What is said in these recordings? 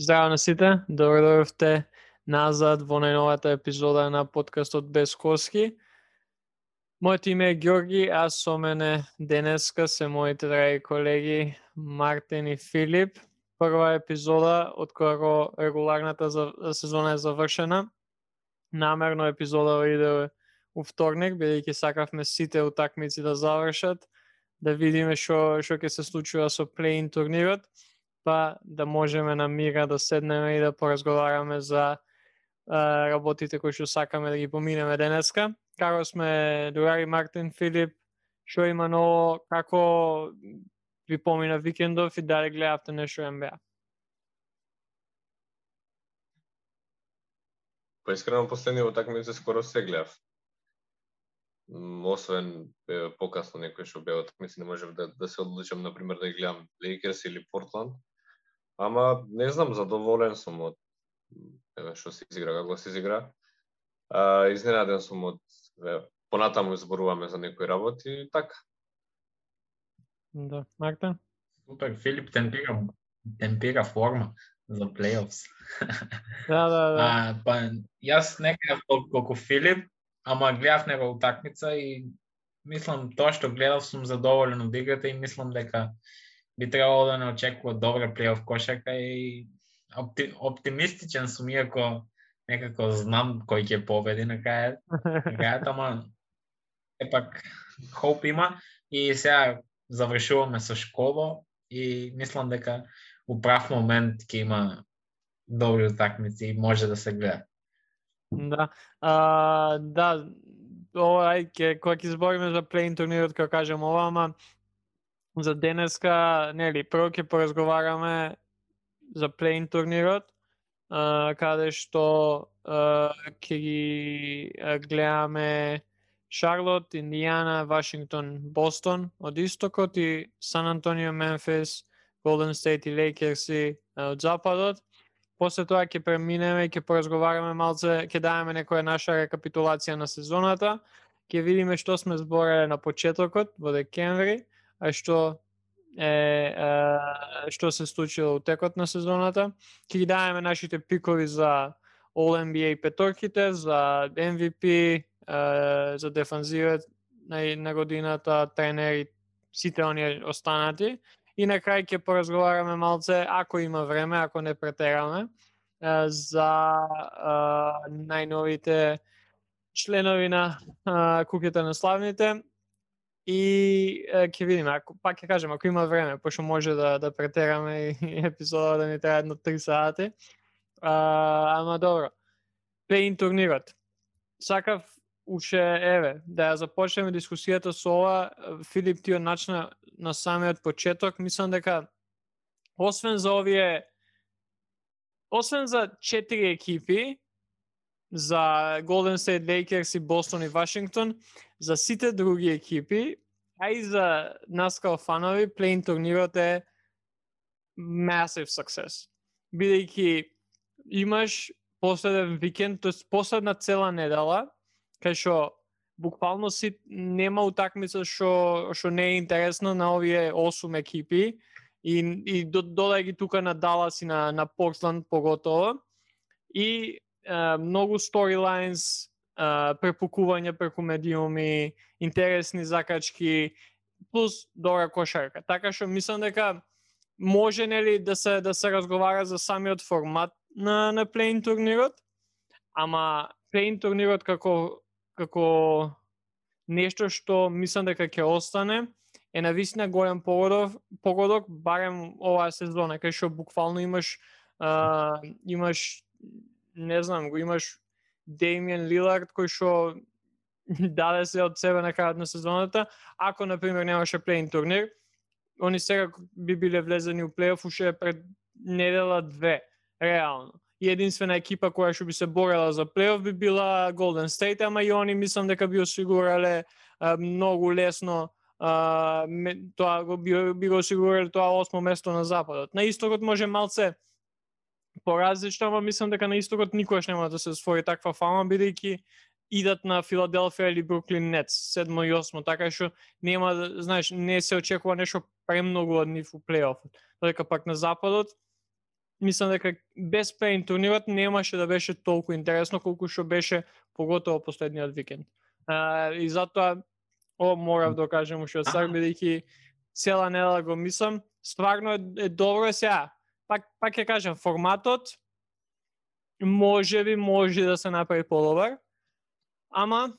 Здраво на сите, добро дојдовте назад во најновата епизода на подкастот Без Коски. Моето име е Ѓорги, а со мене денеска се моите драги колеги Мартин и Филип. Прва епизода од кога регуларната сезона е завршена. Намерно епизода иде у вторник, бидејќи сакавме сите утакмици да завршат, да видиме што ќе се случува со плей-ин турнирот, па да можеме на мира да седнеме и да поразговараме за работите кои што сакаме да ги поминеме денеска. Како сме, другари Мартин, Филип, што има ново, како ви помина викендов и дали гледавте нешто НБА? Па искрено последниве утакмици скоро се гледав. Освен покасно некои што беа утакмици, не можев да се одлучам, например, да ги гледам Лейкерс или Портланд. Ама не знам, задоволен сум од што се изигра, како се изигра. Изненаден сум од понатаму зборуваме за некои работи и така. Да, Мартин? Супер, Филип темпира форма за плей-офс. Да. Па јас не гледав толку колку Филип, ама гледав него утакмица и мислам тоа што гледав сум задоволен од играта и мислам дека би требало да не очекува добра плей-оф кошарка и оптимистичен сум, иако некако знам кој ќе победи на крајот, ама епак хоп има и сега завршуваме со школа и мислам дека у прав момент ќе има добри утакмици и може да се гледа. Да. Да, кога ќе збориме за плей-ин турнирот, како кажем ова, ама за денеска, нели, прво ќе поразговараме за плей-ин турнирот, каде што ќе ги гледаме Шарлот, Индијана, Вашингтон, Бостон од истокот и Сан Антонио, Мемфис, Голден Стейт и Лейкерс од западот. После тоа ќе преминеме и ќе поразговараме малце, ќе даваме некоја наша рекапитулација на сезоната, ќе видиме што сме збореле на почетокот во декември, а што се случило у текот на сезоната. Ќе ги даваме нашите пикови за All-NBA петорките, за MVP, за дефанзивот на годината, тренери, сите оние останати. И на крај ќе поразговараме малце, ако има време, ако не претераме, за најновите членови на куќата на славните. И ќе видиме, пак ќе кажем, ако има време, пошто може да претераме и епизода да ни трае едно 3 сати. Ама добро. Плей-ин турнирот. Сакав уште, да ја започнеме дискусијата со ова. Филип, ти начна на самиот почеток. Мислам дека освен за 4 екипи, за Golden State, Lakers и Бостон и Вашингтон, за сите други екипи, а и за нас као фанови, плей-ин турнирот е massive success. Бидејќи имаш последен викенд, тоест последна цела недела, кај што буквално нема утакмица што не е интересна на овие 8 екипи и додај ги тука на Далас и на Портланд поготово. И многу storylines, препукување преку медиуми, интересни закачки, плюс добра кошарка. Така што мислам дека може нели да се разговара за самиот формат на плей-ин турнирот, ама плей-ин турнирот како нешто што мислам дека ќе остане е навистина голем погодок барем оваа сезона, кај што буквално имаш не знам, го имаш Деймиен Лилард кој што даде се од себе на крајот на сезоната. Ако на пример немаше плей-ин турнир, они сега би биле влезени у плей-оф уште пред недела 2, реално. И единствена екипа која што би се борела за плей-оф би била Golden State, ама и они мислам дека би осигурале многу лесно тоа би го осигурале тоа 8 место на западот. На истокот може малце поразлично, ама мислам дека на истокот никогаш нема да се освои таква фама, бидејќи идат на Филаделфија или Бруклин Нетс 7 и 8, така што нема, знаеш, не се очекува нешто премногу од нив у плей-офот. Додека пак на западот мислам дека без плей-ин турнирот немаше да беше толку интересно колку што беше поготово последниот викенд. И затоа морав да кажам уште од старт, бидејќи цела недела го мислам, стварно е добро сега. Пак ќе кажам, форматот може да се направи подобар, ама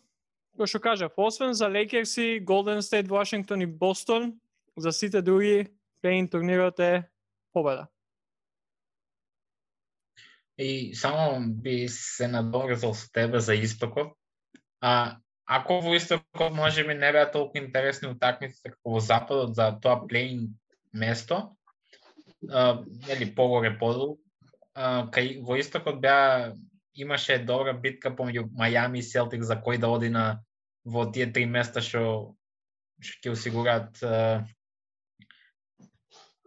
кој што кажав, освен за Лейкерси, Голден Стейт, Вашингтон и Бостон, за сите други плей-ин турнирот е победа. И само би се надоврзал со тебе за Истокот. Ако во Истокот можеби не беа толку интересни утакмиците како во Западот за тоа плей-ин место, или погоре подолу, кај во Истокот имаше добра битка помеѓу Мајами и Селтик за кој да оди во тие 3 места што ќе осигурат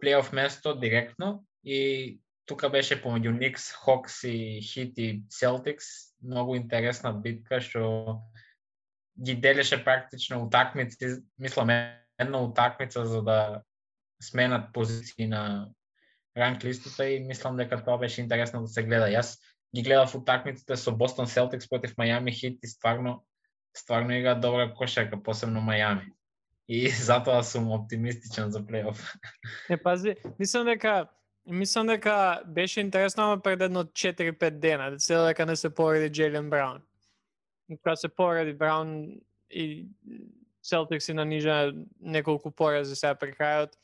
плей-оф место директно, и тука беше помеѓу Никс, Хокс и Хит и Селтикс, многу интересна битка што ги делеше практично утакмици, мислам една утакмица за да сменат позиции на ранг листата, и мислам дека тоа беше интересно да се гледа. Јас ги гледав утакмиците со Бостон Селтикс против Мајами Хит и стварно играат добра кошарка, посебно Мајами. И затоа сум оптимистичен за плей-оф. Пази, мислам дека беше интересно, ама пред едно 4-5 дена, дека не се пореди Джейлен Браун. Кога се пореди Браун и Селтикс и нанижа неколку порази сега при крајот,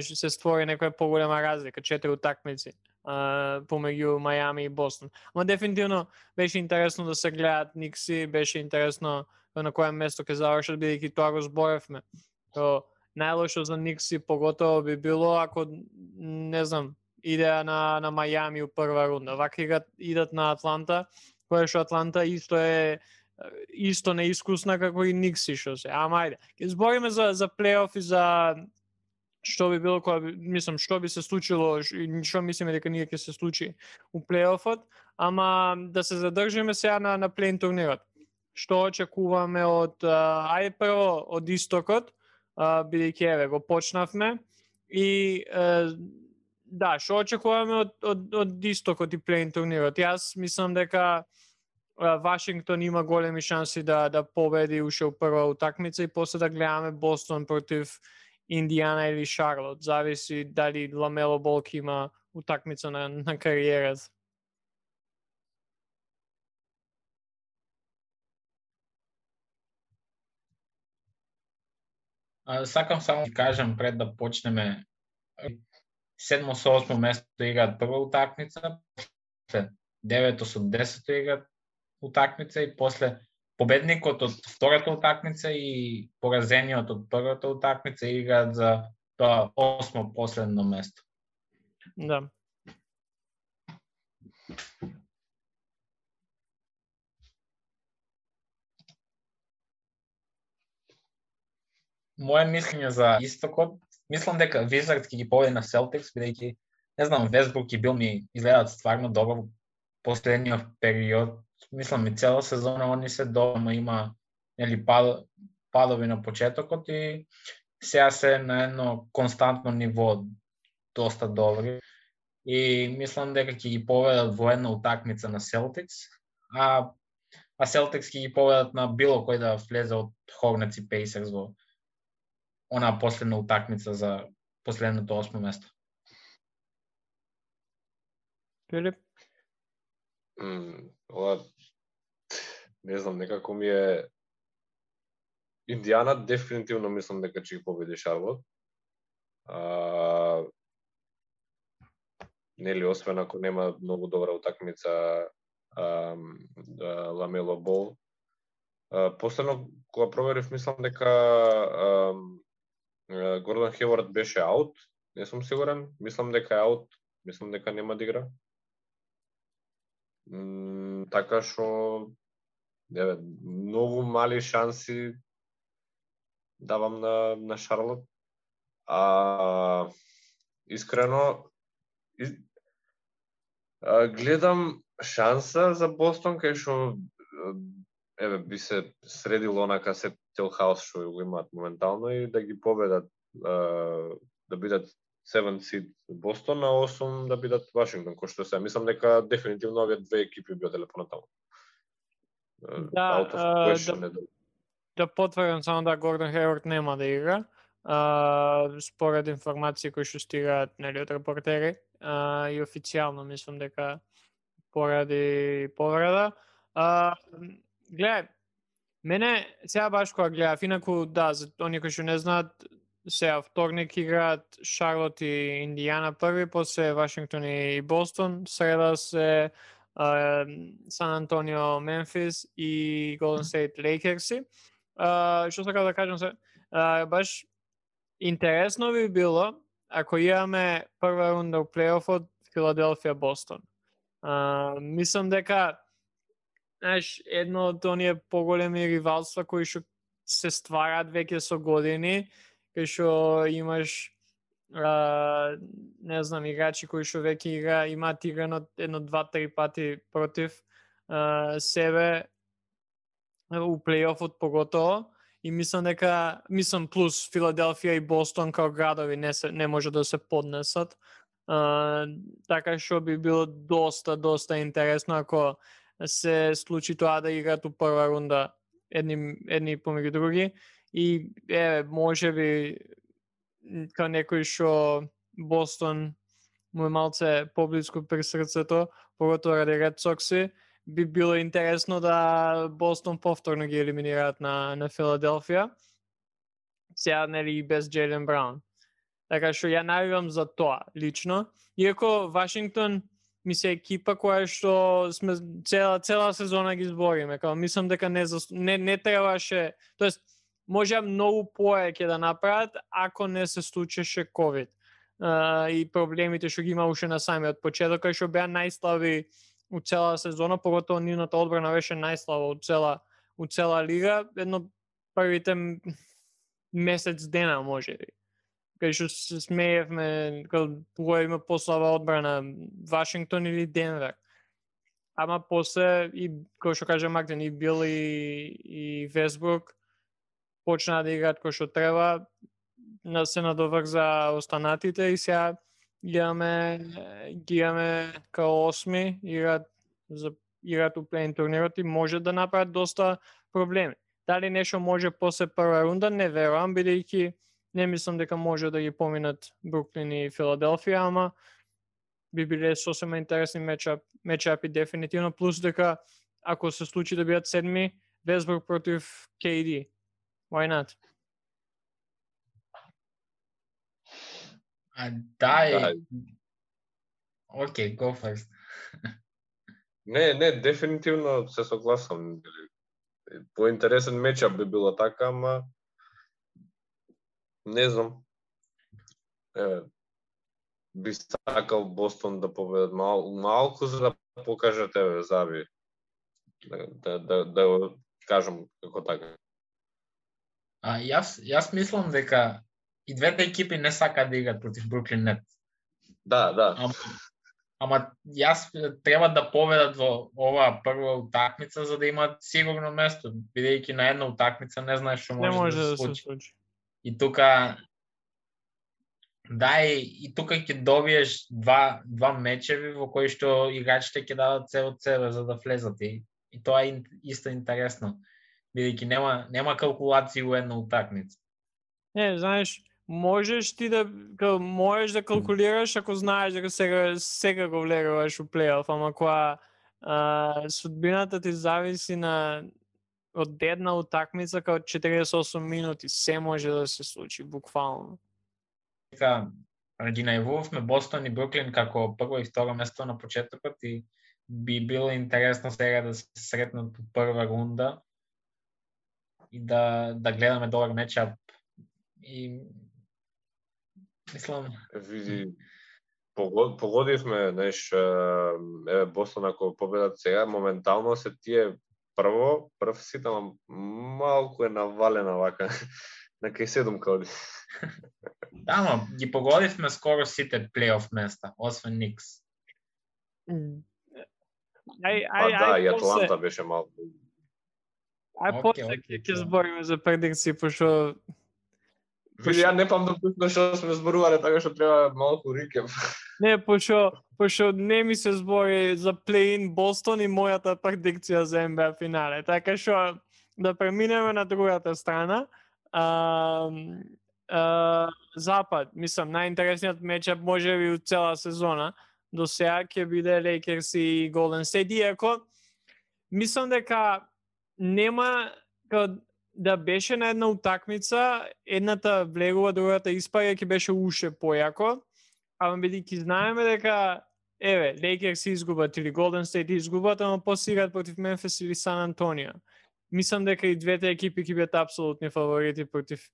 се створи некоја поголема разлика, 4 утакмици помеѓу Мајами и Бостон. Ама дефинитивно беше интересно да се гледат Никси, беше интересно на која место ќе завршат, бидејќи тоа го зборевме. Најлошо за Никси поготово би било ако, не знам, идеа на Мајами у прва рунда. Вака идат на Атланта, која што Атланта исто неискусна како и Никси што се. Ама ајде, ќе збориме за плей-оф и за што би било што би се случило и што мислиме дека ние ќе се случи у плей-офот, ама да се задржиме сега на плей-ин турнирот. Што очекуваме ајде прво од Истокот, бидејќи го почнавме, и да, што очекуваме од Истокот и плей-ин турнирот. Јас мислам дека Вашингтон има големи шанси да победи уште у прва утакмица и после да гледаме Бостон против Индијана или Шарлот. Зависи дали Ламело Бол има утакмица на кариерата. Сакам само да кажам пред да почнеме, 7 со 8 место играат прва утакмица, после 9 со 10 играат утакмица и после победникот од втората утакмица и поразениот од првата утакмица играат за тоа 8 последно место. Да. Моje мислење за Истокот, мислам дека Визардс ќе ги победи на Селтикс, бидејќи, не знам, Весбрук и Бил ми изгледаат стварно добро последниот период. Мислам и цела сезона они се добро, има падови на почетокот и сега се на едно константно ниво, доста добри. И мислам дека ќе ги победат во една утакмица на Селтикс, а Селтикс ќе ги победат на било кој да влезе од Хорнетс и Пейсерс во она последна утакмица за последното 8 место. Филип? Ова, не знам, некако ми е... Индијана дефинитивно мислам дека ќе ги победи Шарлот. Нели, освен ако нема многу добра утакмица Ламело Бол. Последно, кога проверив, мислам дека Гордон Хевард беше аут. Не сум сигурен. Мислам дека е аут. Мислам дека нема да игра. Така што многу мали шанси давам на Шарлот. Искрено гледам шанса за Бостон, кај што би се средило онака се тел хаос што го имаат моментално и да ги победат, да бидат 7 seed Бостон, а 8 да бидат Вашингтон, кој што се. Мислам дека дефинитивно овие две екипи би оделе понатаму. Out of question да потврдам само да Гордон Хейворд нема да игра. Според информации кои што стигаат нели од репортери, и официјално мислам дека поради повреда. Гледај, мене сега баш кога гледав, инаку да, за оние кои што не знаат, сега вторник играат Шарлот и Индијана први, после Вашингтон и Бостон, среда се Сан Антонио, Мемфис и Голден Стейт Лейкерси. Што сакам да кажам се, баш интересно би било ако имаме прва рунда у плейофот Филаделфија Бостон. Мислам дека едно од оние поголеми ривалства кои што се ствараат веќе со години, кај што имаш не знам, играчи кои што веќе имаат играно 1-2-3 пати против себе у плейофот поготово, и мислам дека плюс Филаделфија и Бостон као градови не може да се поднесат. Така што би било доста интересно ако се случи тоа да играат у прва рунда едни помеѓу други, и може би као некој што Бостон му е малце поблиску при срцето, поготово ради Ред Сокси, би било интересно да Бостон повторно ги елиминираат на Филаделфија. Сега нели и без Джейлен Браун. Така што ја навивам за тоа лично. Иако Вашингтон ми се екипа која што сме цела сезона ги збориме, као мислам дека не требаше, тоест можеа многу повеќе да направат ако не се случеше ковид. И проблемите што ги има уште на самиот почеток, кај што беа најслаби у цела сезона, поготово нивната одбрана беше најслаба у цела лига, едно првите месец дена можеби. Кај што се смеевме кога има послаба одбрана, Вашингтон или Денвер. Ама после и кој што кажа Мартин, и Бил и Вестбрук почнаа да играат кој што треба, се надоврза останатите и сега ги имаме као 8 играат у плей-ин турнирот и може да направат доста проблеми. Дали нешто може после прва рунда, не верувам, бидејќи не мислам дека може да ги поминат Бруклин и Филаделфија, ама би биле сосема интересни мечапи дефинитивно, плюс дека ако се случи да бидат седми, Вестбрук против KD. Why not? Окей, go first. Не, дефинитивно се согласам. Поинтересен мечап би било така, ама не знам. Би сакал Бостон да победат малку за да покажат заби. Да кажам како така. Јас мислам дека и двете екипи не сакаат да играат против Бруклин Нет. Да. Ама јас треба да победат во оваа прва утакмица за да имаат сигурно место, бидејќи на една утакмица не знаеш што може да се случи. И тука и тука ќе добиеш два мечеви во кои што играчите ќе дадат се од себе за да влезат, и тоа е исто интересно, бидејќи нема калкулации у една утакмица. Не, знаеш, можеш да калкулираш ако знаеш дека сега го влегуваш у плейоф, ама кога судбината ти зависи од една утакмица као 48 минути, се може да се случи буквално. Ги најавувавме Бостон и Бруклин како прво и второ место на почетокот и би било интересно сега да се сретнат по прва рунда и да гледаме добар мечап. И мислам, види, погодивме, знаеш, Бостон ако победат сега, моментално се тие прв сит, ама малку е навалена вака на кај 7 коди. Да, но ги погодивме скоро сите плейоф места, освен Никс. И Атланта беше малку. После ќе збориме за предикции, пошто Види, ја не памтам точно што сме зборувале, така што треба малку рекеп. Не, пошто не ми се збори за плей-ин Бостон и мојата предикција за НБА финале. Така што да преминеме на другата страна. Запад, мислам, најинтересниот мечап може би од цела сезона до сега ќе биде Лейкерс и Голден Стейт, иако мислам дека нема да беше на една утакмица, едната влегува, другата испаѓа, ќе беше уште појако, ама бидејќи знаеме дека Лейкерс изгубат или Голден Стейт изгубат, ама после играат против Мемфис или Сан Антонио. Мислам дека и двете екипи ќе бидат апсолутни фаворити против.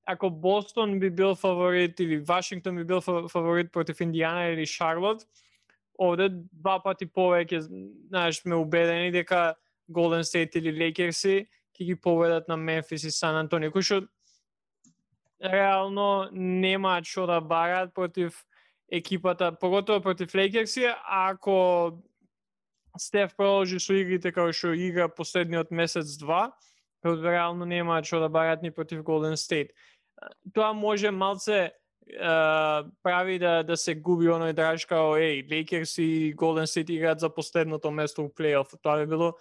Ако Бостон би бил фаворит или Вашингтон би бил фаворит против Индиана или Шарлот, овде два пати повеќе, знаеш, сме убедени дека Голден Стейт или Лейкерси ќе ги победат на Мемфис и Сан Антонио, кои што реално немаат што да барат против екипата, поготово против Лейкерси, ако Стеф продолжи со игрите како што игра последниот месец-два, реално немаат што да барат ни против Голден Стейт. Тоа може малце прави да се губи оној драж као Лейкерс и Голден Стейт играат за последното место у плейоф. Тоа би било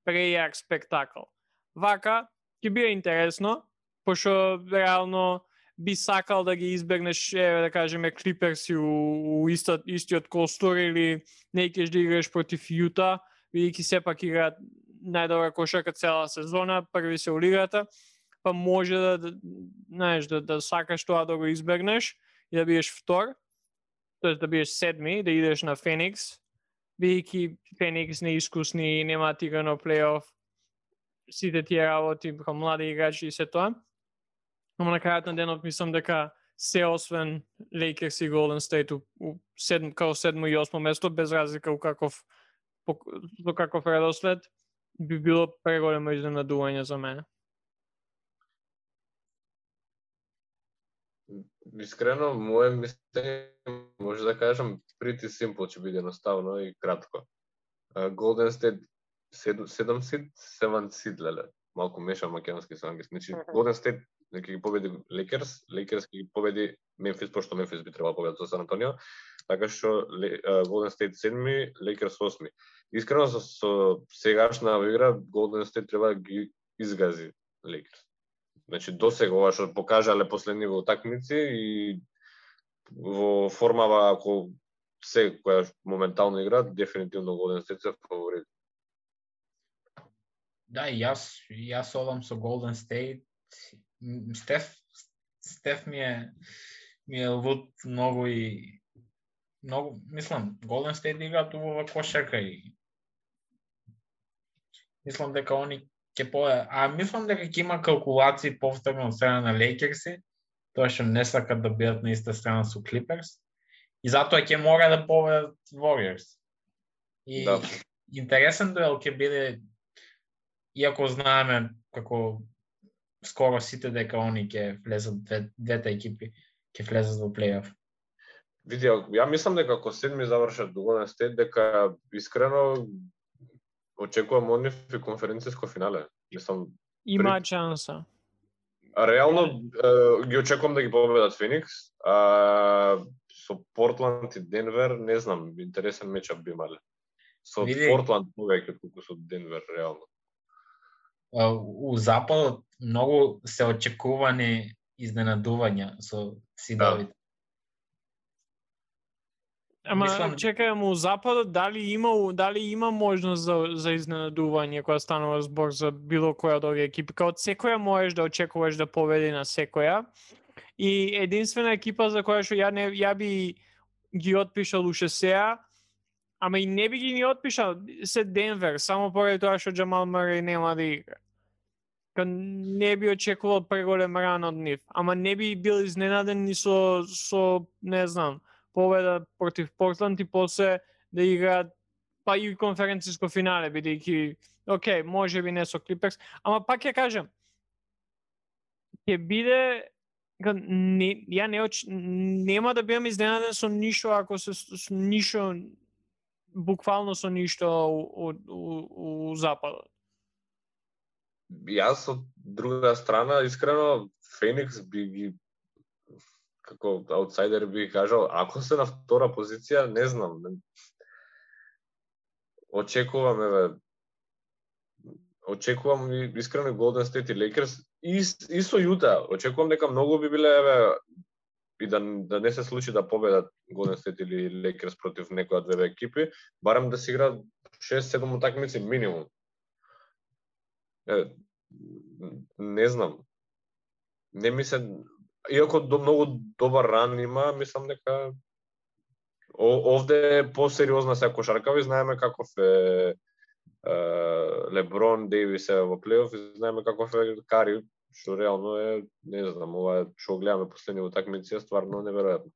прејак спектакл. Вака ќе биде интересно, пошто реално би сакал да ги избегнеш, да кажеме, Клиперси у истиот костур или не кеш да играш против Јута, бидејќи сепак играат најдобра кошарка цела сезона, први се у лигата, па може да сакаш тоа да го избегнеш и да бидеш втор, тоест да бидеш седми, да идеш на Феникс, бидејќи Феникс неискусни, немаат играно плейоф, сите тие работи, млади играчи и се тоа. Ама на крајот на денот мислам дека се освен Лейкерс и Голден Стейт као 7 и 8 место, без разлика у каков редослед, би било преголемо изненадување за мене. Искрено, моје мислење, може да кажам, pretty simple ќе биде едноставно и кратко. Golden State 7 seed, 7 seed, леле. Малку мешам македонски со англиски. Значи, Golden State ќе ги победи Lakers, Lakers ќе ги победи Memphis, пошто Memphis би требало победат со Сан Антонио, така што Golden State 7, Lakers 8. Искрено со сегашна игра Golden State треба да ги изгази Lakers. Значи досега ова што покажале последни во утакмици и во формава ако се која моментално игра, дефинитивно Golden State се фаворит. Да, јас одам со Golden State. Стеф ми е луд многу и многу, мислам, Golden State играат убава кошарка и мислам дека они ќе мислам дека ќе има калкулации повторно од страна на Лейкерси, тоа што не сакат да бидат на иста страна со Клиперс и затоа ќе мора да победат Warriors. И да. Интересен дуел ќе биде, иако знаеме како скоро сите дека они ќе влезат, двете екипи ќе влезат во плейоф. Види, ја мислам дека ако седми завршат до Golden State, дека искрено очекувам од нив и конференцијско финале. Мислам, има шанса. Реално ги очекувам да ги победат Феникс, со Портланд и Денвер, не знам, интересен мечап би имале. Со Портланд повеќе колку со Денвер реално. У западот многу се очекувани изненадувања со сидовите. Ама чекај, у западот дали има можност за изненадување кога станува збор за било која од овие екипи? Као од секоја можеш да очекуваш да победи на секоја. И единствена екипа за која што ја би ги отпишал уште сега, ама и не би ги ни отпишал, се Денвер, само поради тоа што Джамал Мъреј нема да игра. Не би очекувал преголем ран од нив, ама не би бил изненаден ни со не знам, победа против Портланд и после да играат па и конференцијско финале, бидејќи окей, може би не со Клиперс, ама пак ќе кажам, ќе биде нема да бидам изненаден со ништо ако се со ништо, буквално со ништо у западот. Јас од друга страна, искрено, Феникс би ги како аутсайдер би кажал, ако се на втора позиција, не знам. Очекувам искрено Golden State и Lakers и со Јута. Очекувам дека многу би биле и да не се случи да победат Golden State или Lakers против некоја од две екипи, барем да се играат 6-7 утакмици минимум. Не знам. Не ми се, иако многу добар ран има, мислам дека овде е посериозна се кошарка, ви знаеме каков е Леброн, Дейвис е во плейоф, и знаеме каков е Кари, што реално е, не знам, ова што гледаме последни утакмици е стварно неверојатно.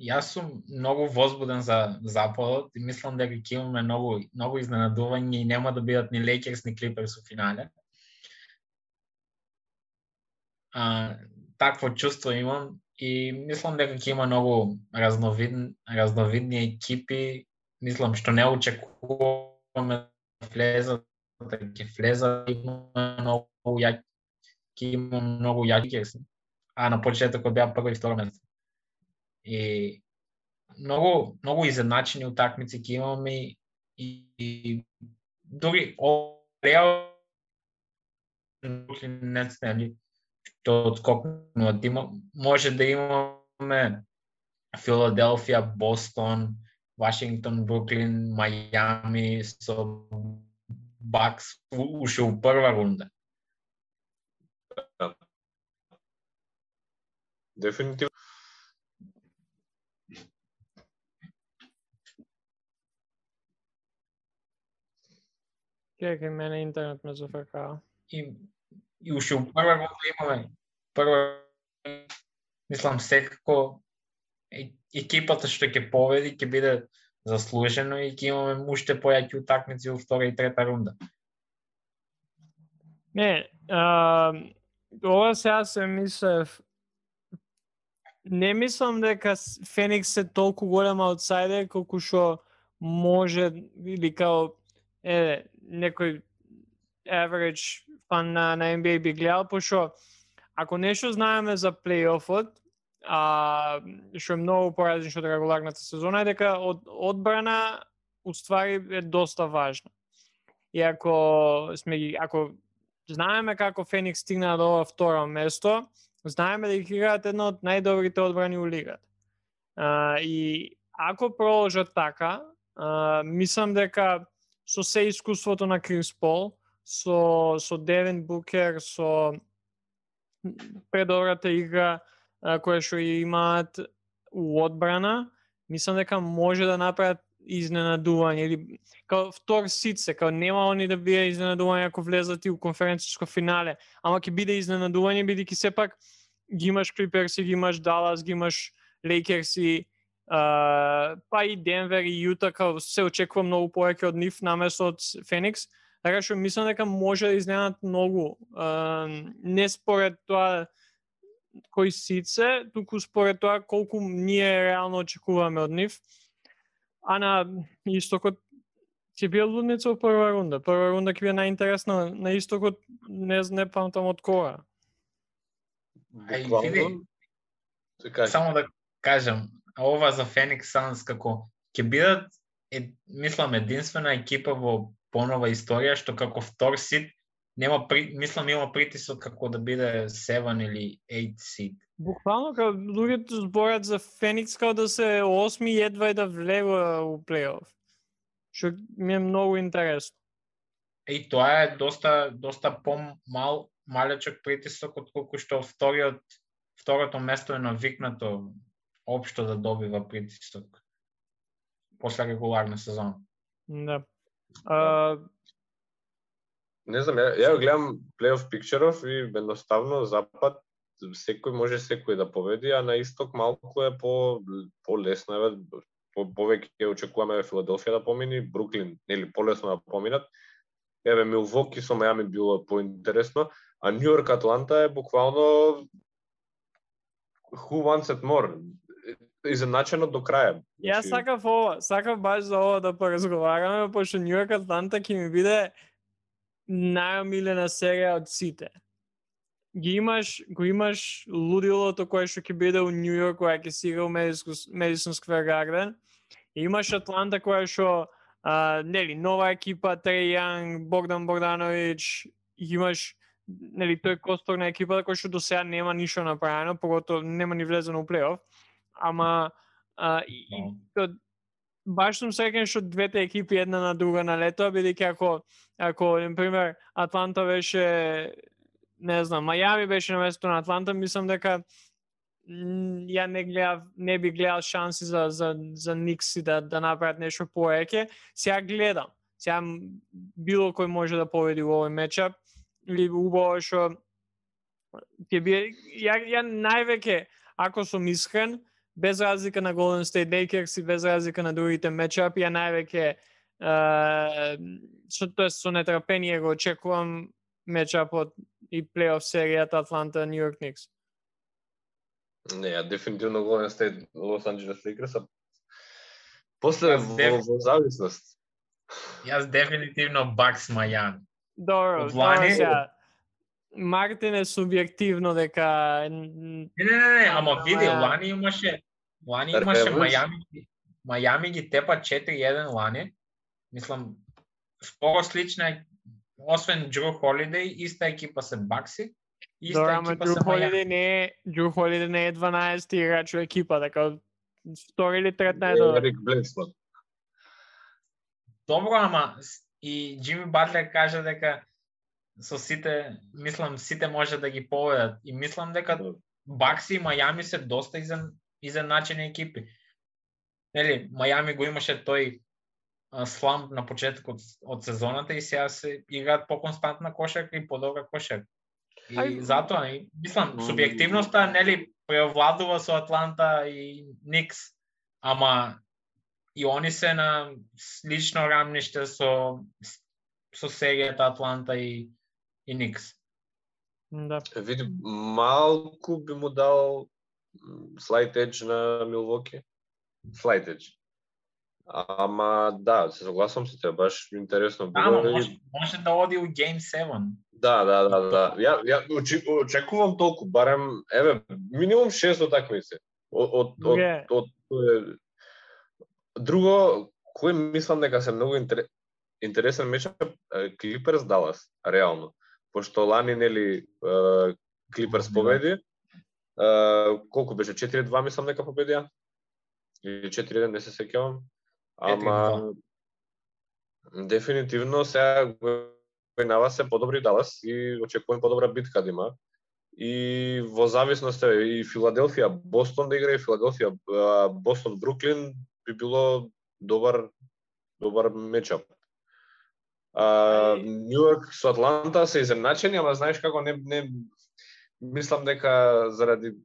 Јас сум многу возбуден за Западот и мислам дека ќе имаме многу изненадувања и нема да бидат ни Лейкерс ни Клиперс во финале. Такво чувство имам и мислам дека ќе има многу разновидни екипи. Мислам што не очекуваме да влезат, има многу јаки, а на почетокот беа прво и второ место. И многу изедначени утакмици ќе имаме и дури Реал не снели што одскокнува. Може да имаме Филаделфија, Бостон, Вашингтон, Бруклин, Мајами со Бакс уште у прва рунда. Дефинитивно. Чекај, мене интернет ме зафркава. И уште у прва рунда имаме мислам секако екипата што ќе победи ќе биде заслужено и ќе имаме уште појаки утакмици во втора и трета рунда. Не, ова сега се мислев. Не мислам дека Феникс е толку голем аутсайдер колку што може или као некој average фан на NBA би гледал, пошто ако нешто знаеме за плейофот, што е многу поразлично од регуларната сезона, е дека одбрана уствари е доста важна. И ако знаеме како Феникс стигна до ова второ место, знаеме дека играат една од најдобрите одбрани у лигата. И ако продолжат така, мислам дека со се искуството на Крис Пол, со Девин Букер, со предобрата игра која што имаат у одбрана, мислам дека може да направат изненадување или као втор сид се, као нема они да биде изненадување ако влезат и у конференциско финале, ама ќе биде изненадување бидејќи сепак ги имаш Клиперси, ги имаш Далас, ги имаш Лейкерси, па и Денвер и Јута, као се очекува многу повеќе од нив наместо од Феникс, така што мислам дека може да изненадат многу. Не според тоа кој сид се, туку според тоа колку ние реално очекуваме од нив. А на истокот ќе биде лудница во прва рунда. Прва рунда ќе биде најинтересна на истокот, не памтам од кога. Само да кажам, ова за Феникс Санс како ќе бидат мислам единствена екипа во понова историја што како втор сид нема мислам има притисок како да биде 7 или 8 сид. Буквално како луѓето зборат за Феникс како да се 8 и едва и да влегува у плейоф. Што ми е многу интересно. И тоа е доста малечок притисок отколку што второто место е навикнато општо да добива притисок после регуларна сезона. Да. Не знам, ја гледам плейоф пикчеров и едноставно запад секој да победи, а на исток малку е по-лесно, повеќе очекуваме Филаделфија да помини, Бруклин нели полесно да поминат. Милвоки со Мајами било поинтересно, а Нью Йорк Атланта е буквално who wants it more? Изначено до крај. Јас сакав баш за ова да поразговараме, пошто Нью Йорк Атланта ќе ми биде најомилена серија од сите. Го имаш лудилото кое што ќе биде у Нью Йорк, која ќе си игра у Madison Square Garden. И имаш Атланта која што нели нова екипа, Треј Јанг, Богдан Богдановиќ, имаш нели тој костор на екипата кој што до сега нема ништо направено, поготово нема ни влезено у плейоф. Ама баш сум среќен што двете екипи една на друга налетоа, бидејќи ако на пример Атланта беше, не знам, Мајами беше на местото на Атланта, мислам дека ја не би гледал шанси за Никси да направат нешто повеќе. Сега гледам. Сега било кој може да победи во овој мечап или убаво што ќе биде ја највеќе, ако сум искрен, без разлика на Golden State Lakers и без разлика на другите мечапи, ја највеќе со нетрпение го очекувам мечапот и плейоф серијата Атланта Нью Йорк Никс. Не, ја дефинитивно Golden State Лос Анџелес Лейкерс, после во зависност. Јас дефинитивно Бакс Мајами. Добро, сега. Мартин е субјективно дека Не, ама види, Лани имаше Мајами ги тепа 4-1 лани. Мислам спoro слична, освен Джру Холидеј, иста екипа се Бакси. Добро, ама Джру Холидеј не е 12 играч во екипа, така втори или трет најдобар. Ерик Бленсман. Добро, ама и Джими Батлер кажа дека со сите, мислам, сите може да ги победат. И мислам дека Бакси и Мајами се доста изеначени екипи. Нели, Мајами го имаше тој сламп на почетокот од сезоната и сега се играат по-константна кошарка и подобра кошарка. И затоа, мислам, субјективноста, нели, преовладува со Атланта и Никс, ама и они се на слично рамниште со серијата Атланта и Никс. Да. Види, малку би му дал слайд едж на Милвоки. Слайд едж. Ама да, се согласувам со тебе, баш интересно било. Ама може да оди у Game 7. Да. Ја очекувам толку, барем, минимум 6 утакмици. Друго, кој мислам дека се многу интересен мечап, Клиперс Далас, реално. Пошто лани, нели, Клиперс победи, колку беше, 4-2 мислам дека победија? Или 4-1, не се сеќавам. Ама дефинитивно сега гојнава се подобри Далас и очекувам подобра битка да има. И во зависност и Филаделфија Бостон да игра, и Филаделфија Бостон Бруклин би било добар мечап. Нью Йорк со Атланта се изедначени, ама знаеш како не мислам дека заради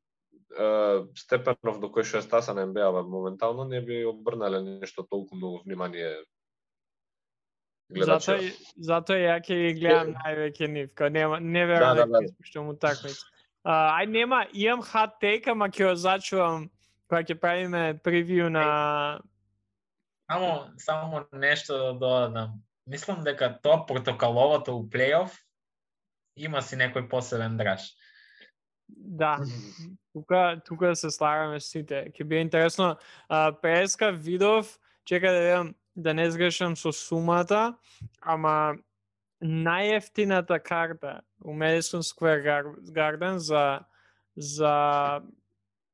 степенов до кој што е стаса на НБА моментално не би обрнале нешто толку многу внимание гледачи. Затоа ја ќе ги гледам највеќе нив, као не верувам дека испуштам утакмица. Имам hot take, ама ќе го зачувам кога ќе правиме превиу на Само нешто да додадам. Мислам дека тоа протоколовото у плейоф има си некој посебен драж. Да, тука се слагаме сите. Ќе биде интересно. Преска видов, чека да видам да не сгрешам со сумата, ама најефтината карта у Madison Square Garden за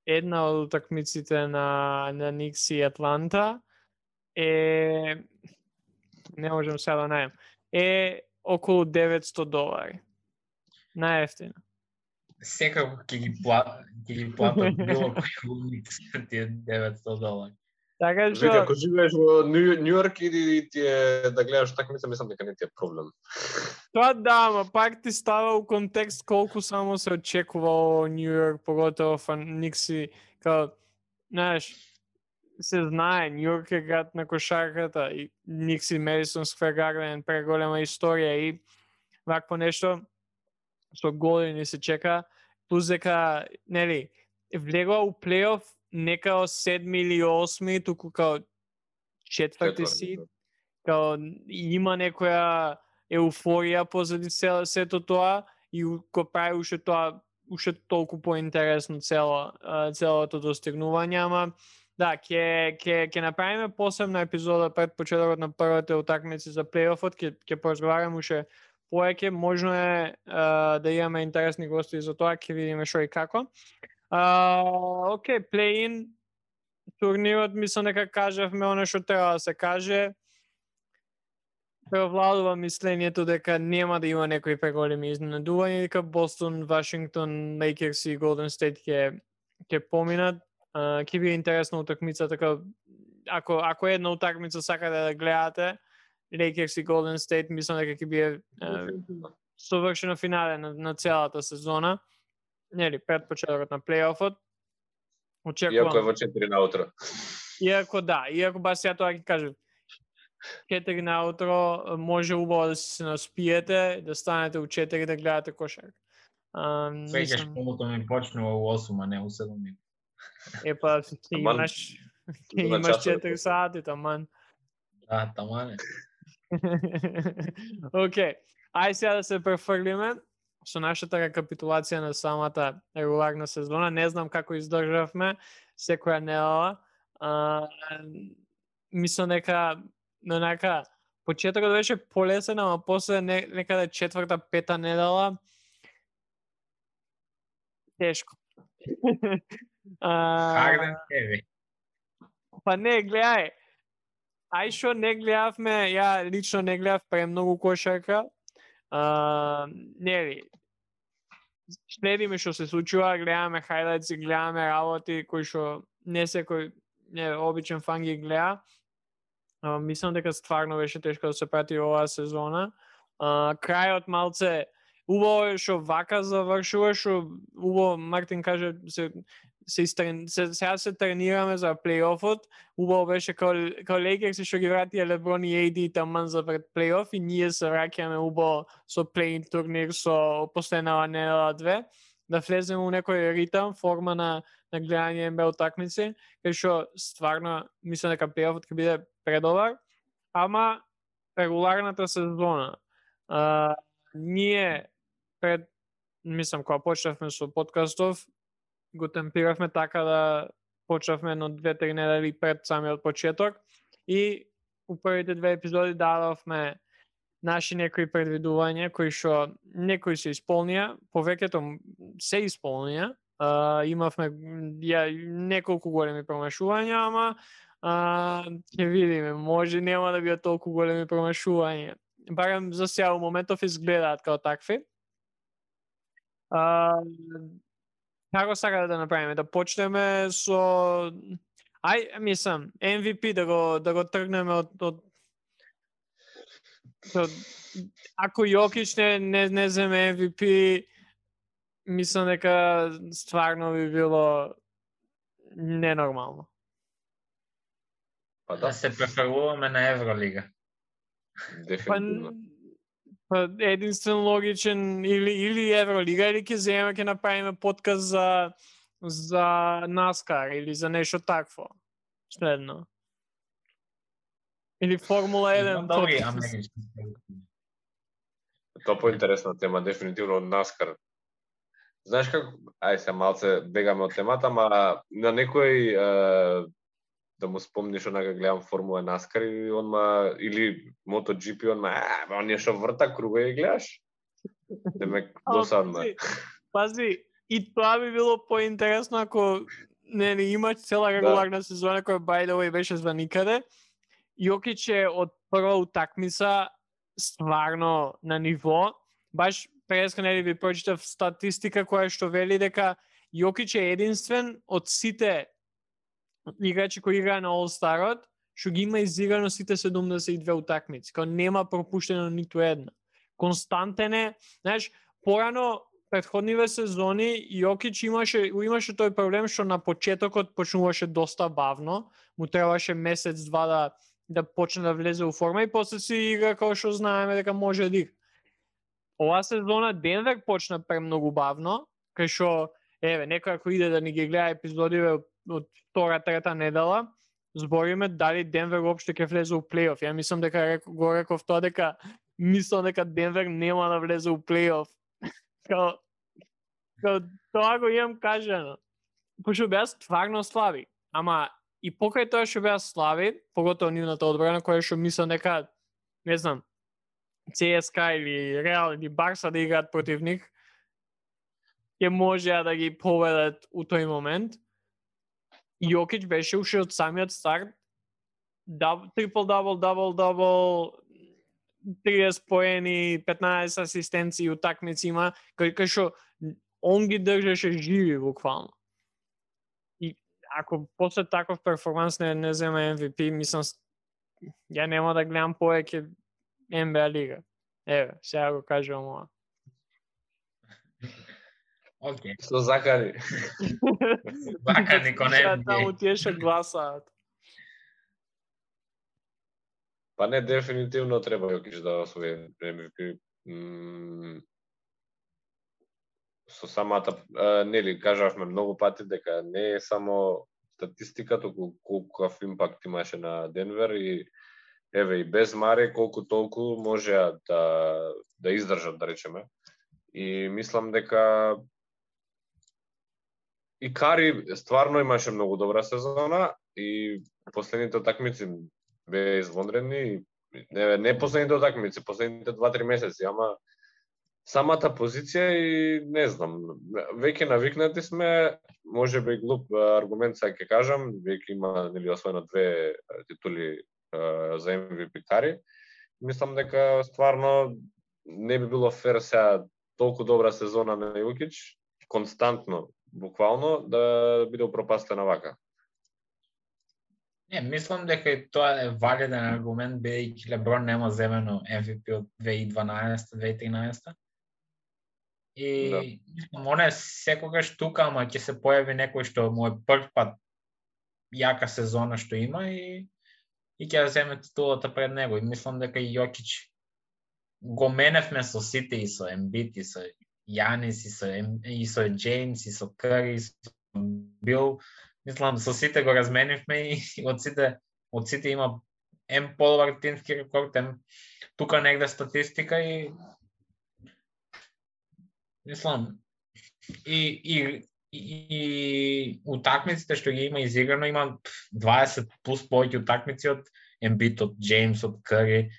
една од утакмиците на Никс и Атланта не можам сега да најдам, е околу $900. Најефтина. Секако ќе ги платат било кој Никс тие $900. Така што ако живееш во Нью Йорк и ти е да гледаш такмица, мислам дека не ти е проблем. Тоа да, ама пак ти става у контекст колку само се очекува во Нью Йорк, поготово Никси, као, знаеш, се знае, Нью Йорк е град на кошарката и Никси Madison Square Garden преголема историја и вакво нешто со години се чека, плюс дека, нели, влегува у плейоф не као 7 или 8, туку као 4 сид, као има некоја еуфорија позади сето тоа и го прави уште толку поинтересно целото достигнување, ама да, ќе направиме посебна епизода пред почетокот на првите утакмици за плейофот, ќе поразговараме уште повеќе, можно е да имаме интересни гости за тоа, ќе видиме што и како. Океј, плей-ин турнирот, мислам дека кажавме оно што треба да се каже. Превладува мислењето дека нема да има некои преголеми изненадувања, дека Бостон, Вашингтон, Лейкерс и Голден Стейт ќе поминат. Ќе биде интересна утакмица, така ако една утакмица сакате да гледате, Лейкерс и Голден Стейт, мислам дека ќе биде совршено финале на целата сезона. Нели, пред почетокот на плейофот. Очекувам. Иако е во 4 наутро. Иако бас ја тоа ќе кажам. 4 наутро може убаво да се наспиете, да станете у 4 да гледате кошарка. Сега школото ми почнува у 8, а не у 7. Епа, имаш 4 сати, таман. Да, таман е. Океј, ај сега да се префрлиме со нашата рекапитулација на самата регуларна сезона. Не знам како издржавме секоја недела. Мислам дека почетокот беше полесен, ама после некаде 4-5 недела тешко. Харден Хеви. Па не, гледај. Ај шо не гледавме, ја лично не гледав премногу кошарка. Нели, следиме што се случува, гледаме хайлайтси, гледаме работи кои што не секој обичен фан ги гледа. Мислам дека стварно беше тешко да се прати оваа сезона. Крајот малце убаво е што вака завршува, што убаво Мартин каже сега се тренираме за плейофот. Убаво беше као Лейкерс што ги вратија Леброн и AD таман за пред плейоф и ние се враќаме убаво со плей-ин турнир со последнава недела 2, да влеземе у некој ритам, форма на гледање NBA утакмици, кај што стварно мислам дека плейофот ќе биде предобар, ама регуларната сезона. Ние мислам кога почнавме со подкастов, го темпиравме така да почнавме едно 2-3 недели пред самиот почеток и у првите 2 епизоди дадовме наши некои предвидувања кои што некои се исполнија, повеќето се исполнија. Имавме неколку големи промашувања, ама ќе видиме, може нема да бидат толку големи промашувања. Барем за сега у моментов изгледаат као такви. Како сакате да направиме? Да почнеме со мислам, MVP да го тргнеме од ако Јокич не земе MVP, мислам дека стварно би било ненормално. Да се префрлуваме на Евролига. Дефинитивно. Па единствен логичен или Евролига, или ќе направиме подкаст за NASCAR или за нешто такво. Следно. Или Формула 1 подкаст. Тоа поинтересна тема, дефинитивно од NASCAR. Знаеш како, се малце бегаме од темата, ама на некој да му спомниш онака гледам Формула NASCAR или MotoGP, оние што врта круга и гледаш. Демек досадно. Пази, и тоа би било поинтересно ако не има цела регуларна сезона која by the way беше за никаде. Јокич е од прва утакмица стварно на ниво. Баш преска нели ви прочитав статистика која што вели дека Јокич е единствен од сите играчи кои играа на All-Starот, што ги има изиграно сите 72 утакмици. Као нема пропуштено ниту една. Константен е, знаеш, порано претходниве сезони Јокич имаше тој проблем што на почетокот почнуваше доста бавно, му требаше месец-два да почне да влезе у форма и после си игра како што знаеме дека може да игра. Ова сезона Денвер почна премногу бавно, кај што некој ако иде да ни ги гледа епизодиве од втора-трета недела, збориме дали Денвер уопште ќе влезе у плейоф. Ја мислам дека го реков тоа дека мислам дека Денвер нема да влезе у плей-оф. Као тоа го имам кажано. Пошто беа стварно слаби. Ама и покрај тоа што беа слаби, поготово нивната одбрана која што мислам дека, не знам, ЦСКА или Реал или Барса да играат против нив, ќе можеа да ги поведат у тој момент. Јокич беше уште од самиот старт трипл-дабл, 30 поени, 15 асистенции утакмици има, кај што он ги држеше живи буквално. И ако после таков перформанс не зема MVP, мислам ја нема да гледам повеќе NBA лига. Еве, сега го кажувам ова. Океј. Со закани. Закани кон NBA. Таму тие што гласаат. Па не, дефинитивно треба Јокич да освои MVP. Со самата, нели, кажавме многу пати дека не е само статистика, туку колкав импакт имаше на Денвер и еве и без Маре колку толку можеа да издржат, да речеме. И мислам дека и Кари стварно имаше многу добра сезона и последните утакмици беа извонредни. Не последните утакмици, последните 2-3 месеци, ама самата позиција и не знам, веќе навикнати сме, можеби глуп аргумент сега ќе кажам, веќе има нели освоено 2 титули за MVP Кари. Мислам дека стварно не би било фер сега толку добра сезона на Јокич, константно, буквално, да биде упропастена вака. Не, мислам дека и тоа е валиден аргумент, бидејќи Леброн нема земено MVP од 2012-2013. И мислам, он е секогаш тука, ама ќе се појави некој што му е прв пат јака сезона што има и ќе земе титулата пред него. И мислам дека и Јокич го меневме со сите, и со Ембит, и со Јанис, и со Джеймс, и со Кари, и со Бил. Мислам, со сите го разменивме и од сите има по-добар тимски рекорд, тука негде статистика и мислам и утакмиците што ги има изиграно, има 20 плюс повеќе утакмици од Ембит, од Джеймс, од Кари.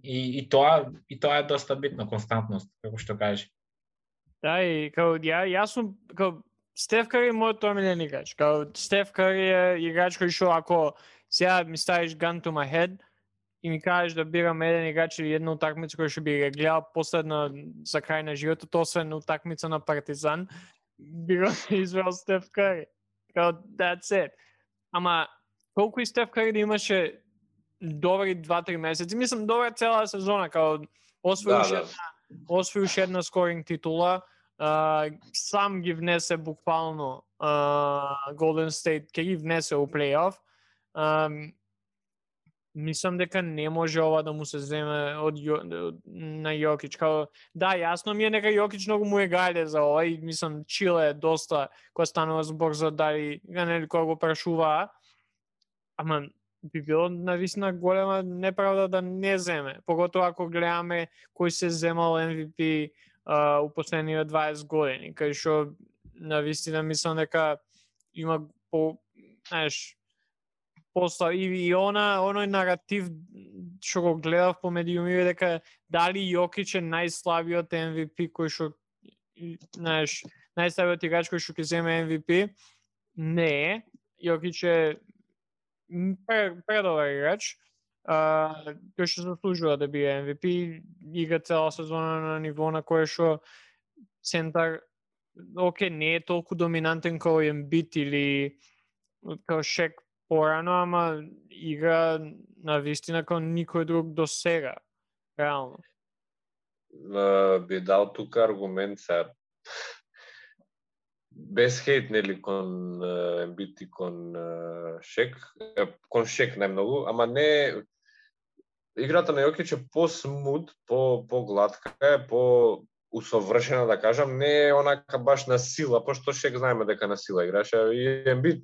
И тоа е доста битно, константност, како што кажеш. Да, и као јас сум као Стеф Кари е мојот омилен играч. Као Стеф Кари е играч кој што ако сега ми ставиш gun to my head и ми кажеш да бирам еден играч или една утакмица која што би го гледал последно за крај на животот, освен утакмица на Партизан, би го избрал Стеф Кари. Као that's it. Ама колку и Стеф Кари да имаше добри 2-3 месеци, мислам добра цела сезона, као освои уште една скоринг титула, сам ги внесе буквално Golden State, ќе ги внесе у плей-оф. Мислам дека не може ова да му се земе на Јокич. Као, да, јасно ми е дека Јокич многу му е гајде за ова и мислам Чиле е доста кога станува збор за дали нели кога го прашуваа. Ама би било навистина голема неправда да не земе. Поготоа ако гледаме кој се земал MVP у последниве 20 години, кај што навистина мислам дека има после и оној наратив што го гледав по медиумиве дека дали Јокич е најслабиот MVP кој што најслабиот играч кој што ќе земе MVP. Не е. Јокич е предобар играч, кој што заслужува да биде MVP, игра цела сезона на ниво на кое што центар не е толку доминантен како Ембит или како Шек порано, ама игра на вистина како никој друг до сега, реално. Би дал тука аргумент сега, без хейт, нели, кон Ембит и кон Шек, кон Шек најмногу, ама не, играта на Јокич е по-смут, по-гладка, е по-усовршена, да кажам, не е онака баш на сила, пошто Шек знаеме дека на сила играше, и Ембит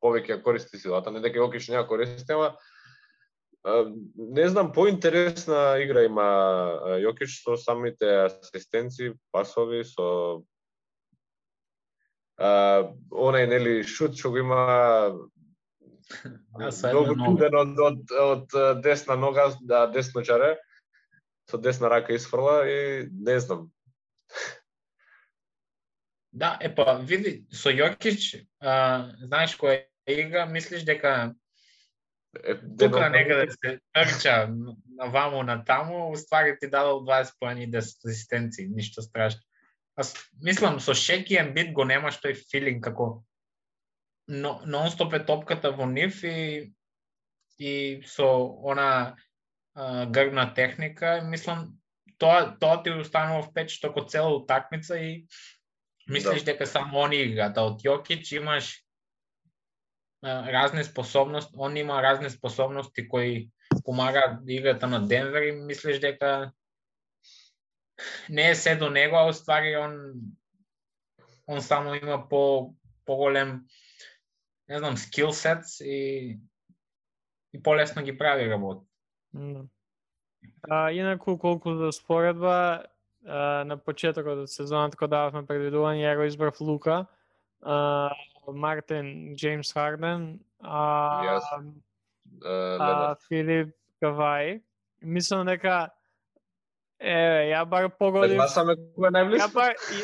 повеќе користи силата, не дека Јокич не ја користи, ама Не знам, поинтересна игра има Јокич со самите асистенци, пасови, со онај нели шут што го има многу чуден од десна нога, да, десночаре, со десна рака изфрла и не знам. Да, види, со Јокич, знаеш која игра, мислиш дека тука некаде се трча наваму натаму, уствари ти дадол 20 поени и 10 асистенции, ништо страшно. Аз мислам, со Шек и Ембит го немаш тој филинг како нон-стоп е топката во нив и со она грбна техника, мислам, тоа ти останува впечат како цела утакмица и мислиш дека само они играат, од Јокич имаш разни способности, он има разни способности кои помагаат играта на Денвер и мислиш дека не е се до него, а уствари он само има поголем, не знам, скил сетс и полесно ги прави работа. Инаку колку за споредба, на почетокот од сезоната кога дававме предвидување, ја го избрав Лука, Мартин, Джеймс Харден, Филип Кавај. Мислам дека ја бар погодив.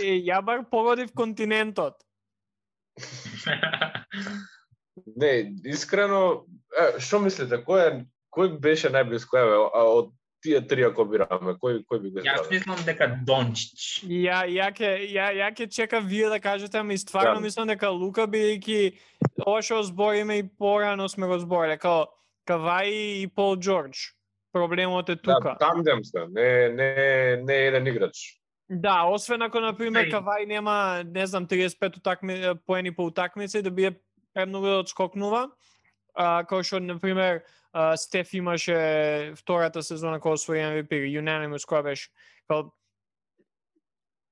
Ја бар погодив континентот. Не, искрено, што мислите, кој беше најблиско од тие три ако бираме, кој би го избрал? Јас мислам дека Дончич. Ја ќе чекам вие да кажете, ама и стварно мислам дека Лука, бидејќи ова што збориме и порано сме го збориле, као Кавај и Пол Џорџ. Проблемот е тука. Да, тандем се, не еден играч. Да, освен ако, например, Кавај нема, не знам, 35 поени по утакмица и да биде премногу да отскокнува, као што, например, Стеф имаше втората сезона кога освои MVP, unanimous која беше.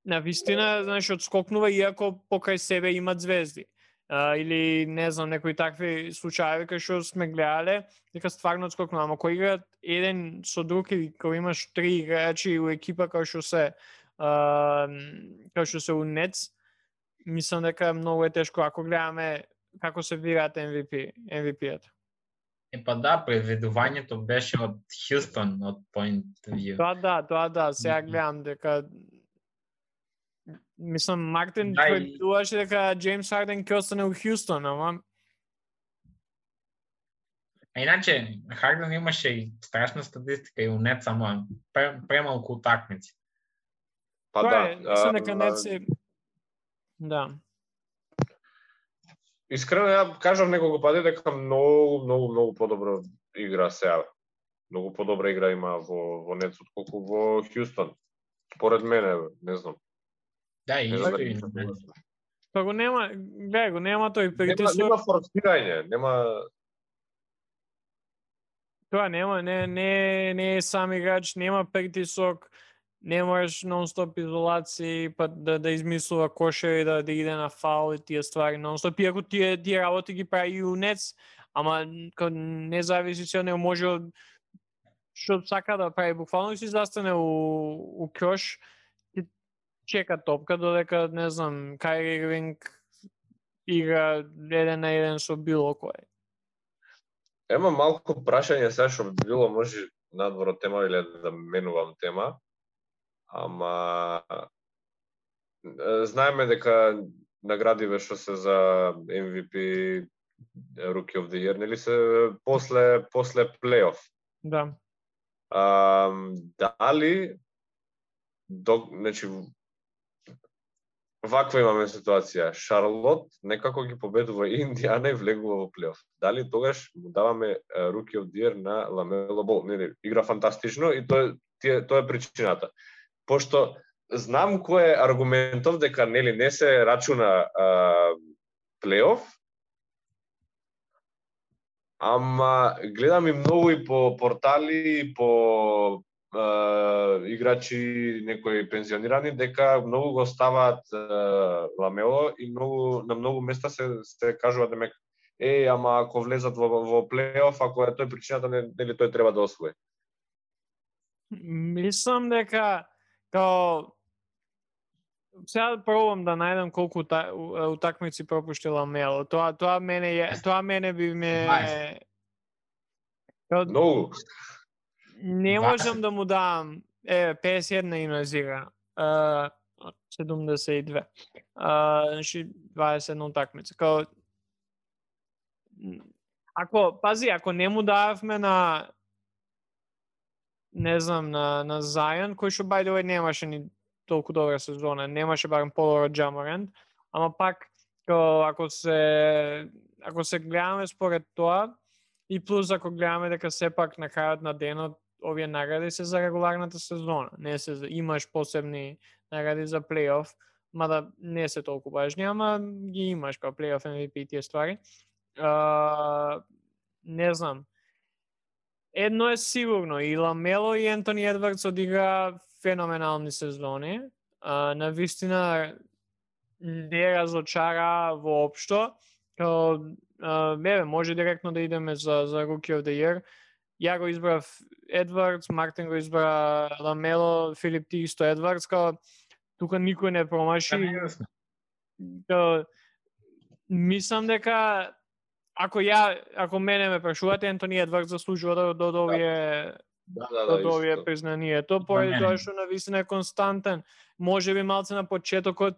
На вистина, знаеш, отскокнува иако покрај себе имат звезди. Или, не знам, некои такви случаи кај што сме гледале, дека стварно отскокнува. Ама кој играат еден со друг или кој имаш три играчи у екипа кај што се у Нетс, мислам дека многу е тешко ако гледаме како се бираат MVP-ата. Да, предвидувањето беше од Хјустон, од point view. Тоа да, сега гледам дека мислам Мартин предвидуваше дека Джеймс Харден ќе остане у Хјустон, ама иначе Харден имаше и страшна статистика и у Нетс, ама премалку утакмици. Мислам дека Нетс е да. Искрено, ја кажав неколку пати дека многу подобро игра сега. Многу подобра игра има во Нетс отколку во Хјустон. Според мене, не знам. Да, и Па го нема тој притисок. Нема форсирање, нема. Тоа нема, не е сам играч, нема притисок, не можеш нон-стоп изолации, па да измислува кошери, да иде на фаул и тие ствари нон-стоп. Иако тие работи ги прави и у Нетс, ама не зависи се од него, може што сака да прави, буквално си застане у крош, и чека топка додека, не знам, Кайри Ирвинг игра 1-1 со било кој. Ема малку прашање сега што било може надвор од тема или да менувам тема. Ама знаеме дека наградиве што се за MVP, Rookie of the Year, нели се после плейоф. Да. Дали значи ваква имаме ситуација. Шарлот некако ги победува и Индијана и влегува во плейоф. Дали тогаш му даваме Rookie of the Year на Ламело Бол? Нели игра фантастично и тоа е причината. Пошто знам кој е аргументов дека нели не се рачуна плейоф, ама гледам и многу и по портали, и по играчи некои пензионирани дека многу го ставаат Ламело и на многу места се кажува дека ама ако влезат во плейоф, ако е тој причината, нели тој треба да освои? Мислам дека као сега пробам да најдам колку утакмици пропушти Ламело. Тоа мене би ме Многу. Не можам да му дам 51 има зига. 72. Значи 21 утакмица. Као ако не му дававме на не знам на Зајан, кој што by the way немаше ни толку добра сезона, немаше барем по-добро Джаморент, ама пак ако се гледаме според тоа и плюс ако гледаме дека сепак на крајот на денот овие награди се за регуларната сезона, не се имаш посебни награди за плейоф, мада не се толку важни, ама ги имаш као плейоф MVP и тие ствари. Не знам. Едно е сигурно, и Ламело и Ентони Едвардс одигра феноменални сезони. Навистина не разочара воопшто. Може директно да идеме за Rookie of the Year. Ја го избрав Едвардс, Мартин го избра Ламело, Филип ти исто Едвардс, тука никој не промаши. Мислам дека ако мене ме прашувате, Ентони Едвардс заслужува да овие признанието, поради тоа што навистина е константен. Може би малце на почетокот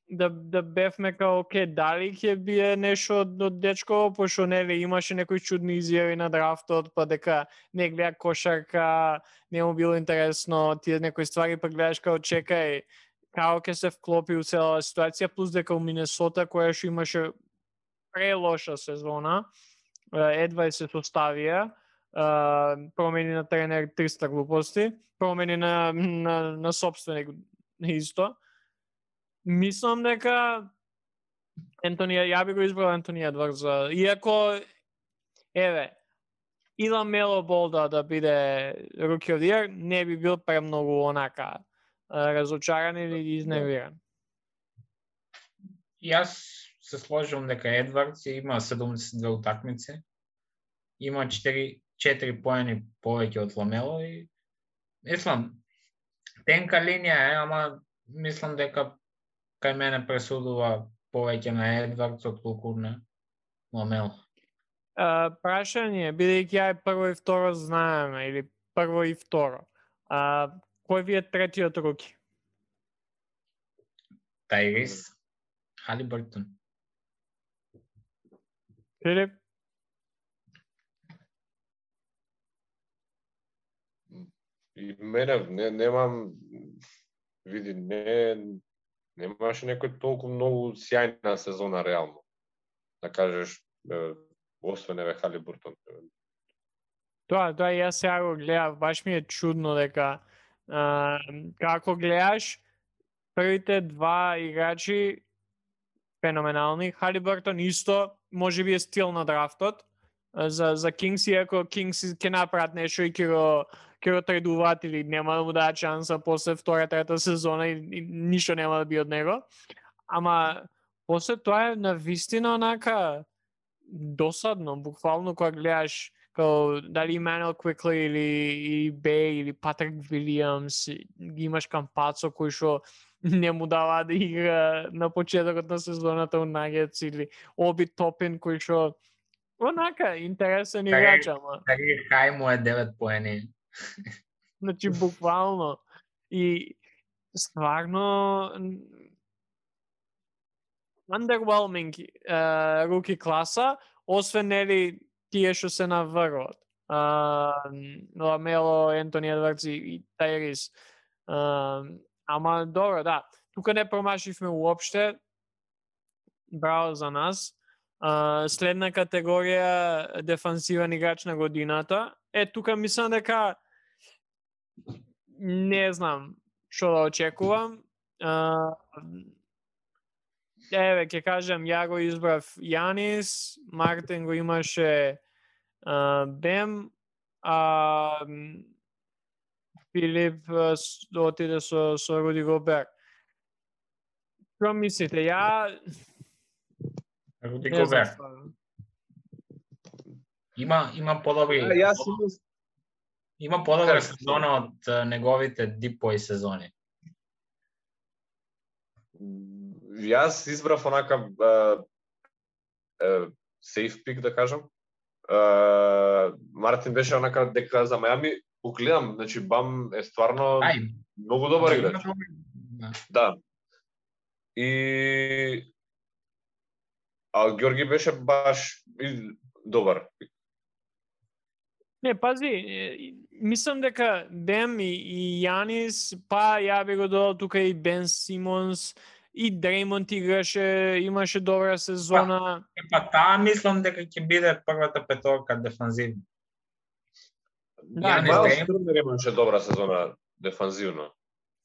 да бевме као дали ќе бие нешто од дечко, пошто нели имаше некои чудни изјави на драфтот, па дека не гледа кошарка, не му било интересно, тие некои ствари, па гледаш као чекај како ќе се вклопи у целава ситуација, плюс дека у Минесота која што имаше прелоша сезона, едва се составија, промени на тренер 300 глупости, промени на собственик исто. Мислам дека ја би го избрал Ентони Едвардс, иако и Ламело Бол да биде Rookie of the Year, не би бил премногу онака разочаран или изнервиран. Јас се сложувам дека Едвардс има 72 утакмици, има 4 поени повеќе од Ламело и мислам тенка линија е, ама мислам дека кај мене пресудува повеќе на Едвардс отколку на Ламело. Прашање, бидејќи ја прво и второ знаеме, или прво и второ, кој ви е третиот руки? Тајрис Халибертон. Филип? И мене немам види, немаше некој толку многу сјајна сезона реално. Да кажеш, освен Халибертон. Тоа јас сега го гледав, баш ми е чудно дека како гледаш првите два играчи феноменални, Халибертон исто можеби е стил на драфтот за Кингс, иако Кингс ќе направат нешто и ќе го тредуваат или нема да му дадат шанса после втора, трета сезона и ништо нема да би од него. Ама после тоа е навистина онака досадно, буквално кога гледаш као дали Емануел Квикли или Бей или Патрик Вилијамс, ги имаш Кампацо кој што не му дава да игра на почетокот на сезоната у Нагетс или Оби Топин кој што онака интересен играч, ама кај му е 9 поени. Значи буквално и стварно underwhelming руки класа, освен нели тие што се наврват. Ламело, Ентони Едвардс и Тајрис. Ама добро, да. Тука не промашивме уопште. Браво за нас. Следна категорија дефансивен играч на годината. Тука мислам дека не знам што да очекувам. Ќе кажам, ја го избрав Јанис, Мартин го имаше Бем, Филип отиде со Руди Гобер. Што мислите? Руди Гобер. Има подобри. Има подобра сезона од неговите Дипој сезони. Јас избрав онака сейф пик, да кажам. Мартин беше онака дека за Мајами гледам, значи Бам е стварно многу добар играч. Да. И Ѓорги беше баш добар. Не, пази, мислам дека Бем и Јанис, па ја би го додал тука и Бен Симонс, и Дреймонд играше, имаше добра сезона. Па таа мислам дека ќе биде првата петорка дефанзивна. Да, Мајлс Тернер имаше добра сезона дефанзивно.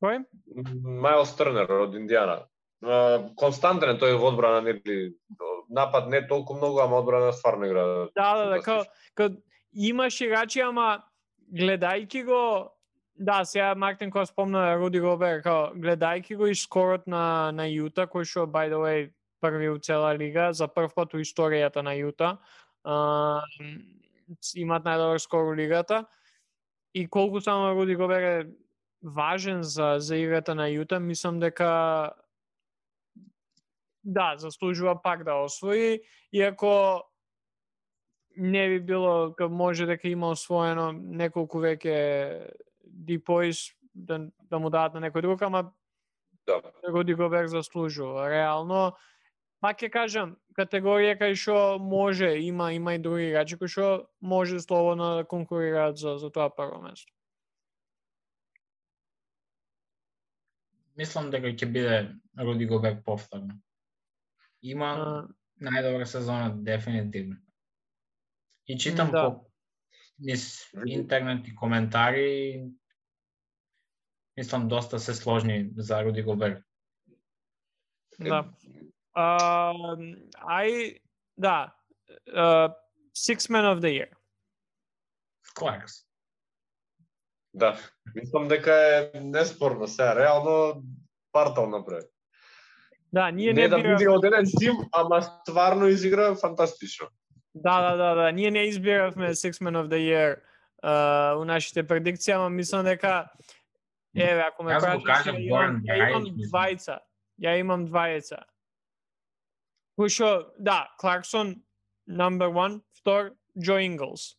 Кој? Мајлс Тернер од Индијана. Константен е тој во одбрана, нели напад не толку многу, ама одбрана стварно игра. Да, као имаш играчи, ама гледајќи го, да, сега Мартин кој спомна Руди Гобер, као гледајќи го и скорот на Јута, кој што by the way први у цела лига, за прв пат у историјата на Јута. Имат најдобар скор у лигата. И колку само Руди Гобер е важен за играта на Јута, мислам дека да, заслужува пак да освои, иако не би било, може дека има освоено неколку веќе Дипојс да му дадат на некој друг, ама да. Руди Гобер заслужува. Реално, пак ќе кажам, категорија кај што може, има и други играчи кои што може слободно да конкурираат за тоа прво место. Мислам дека ќе биде Руди Гобер повторно. Има најдобра сезона дефинитивно. И читам низ интернет и коментари, мислам доста се сложни за Руди Гобер. Да. Six Man of the Year. Кларкс. Да, мислам дека е неспорно сега, реално партал направи. Да, ние не да биде од еден тим, ама стварно изигра фантастично. Да, ние не избиравме Six Man of the Year у нашите предикции, ама мислам дека еве, ако ме прашаш, ја имам двајца. Кој што, да, Кларксон number 1, втор Джо Инглс.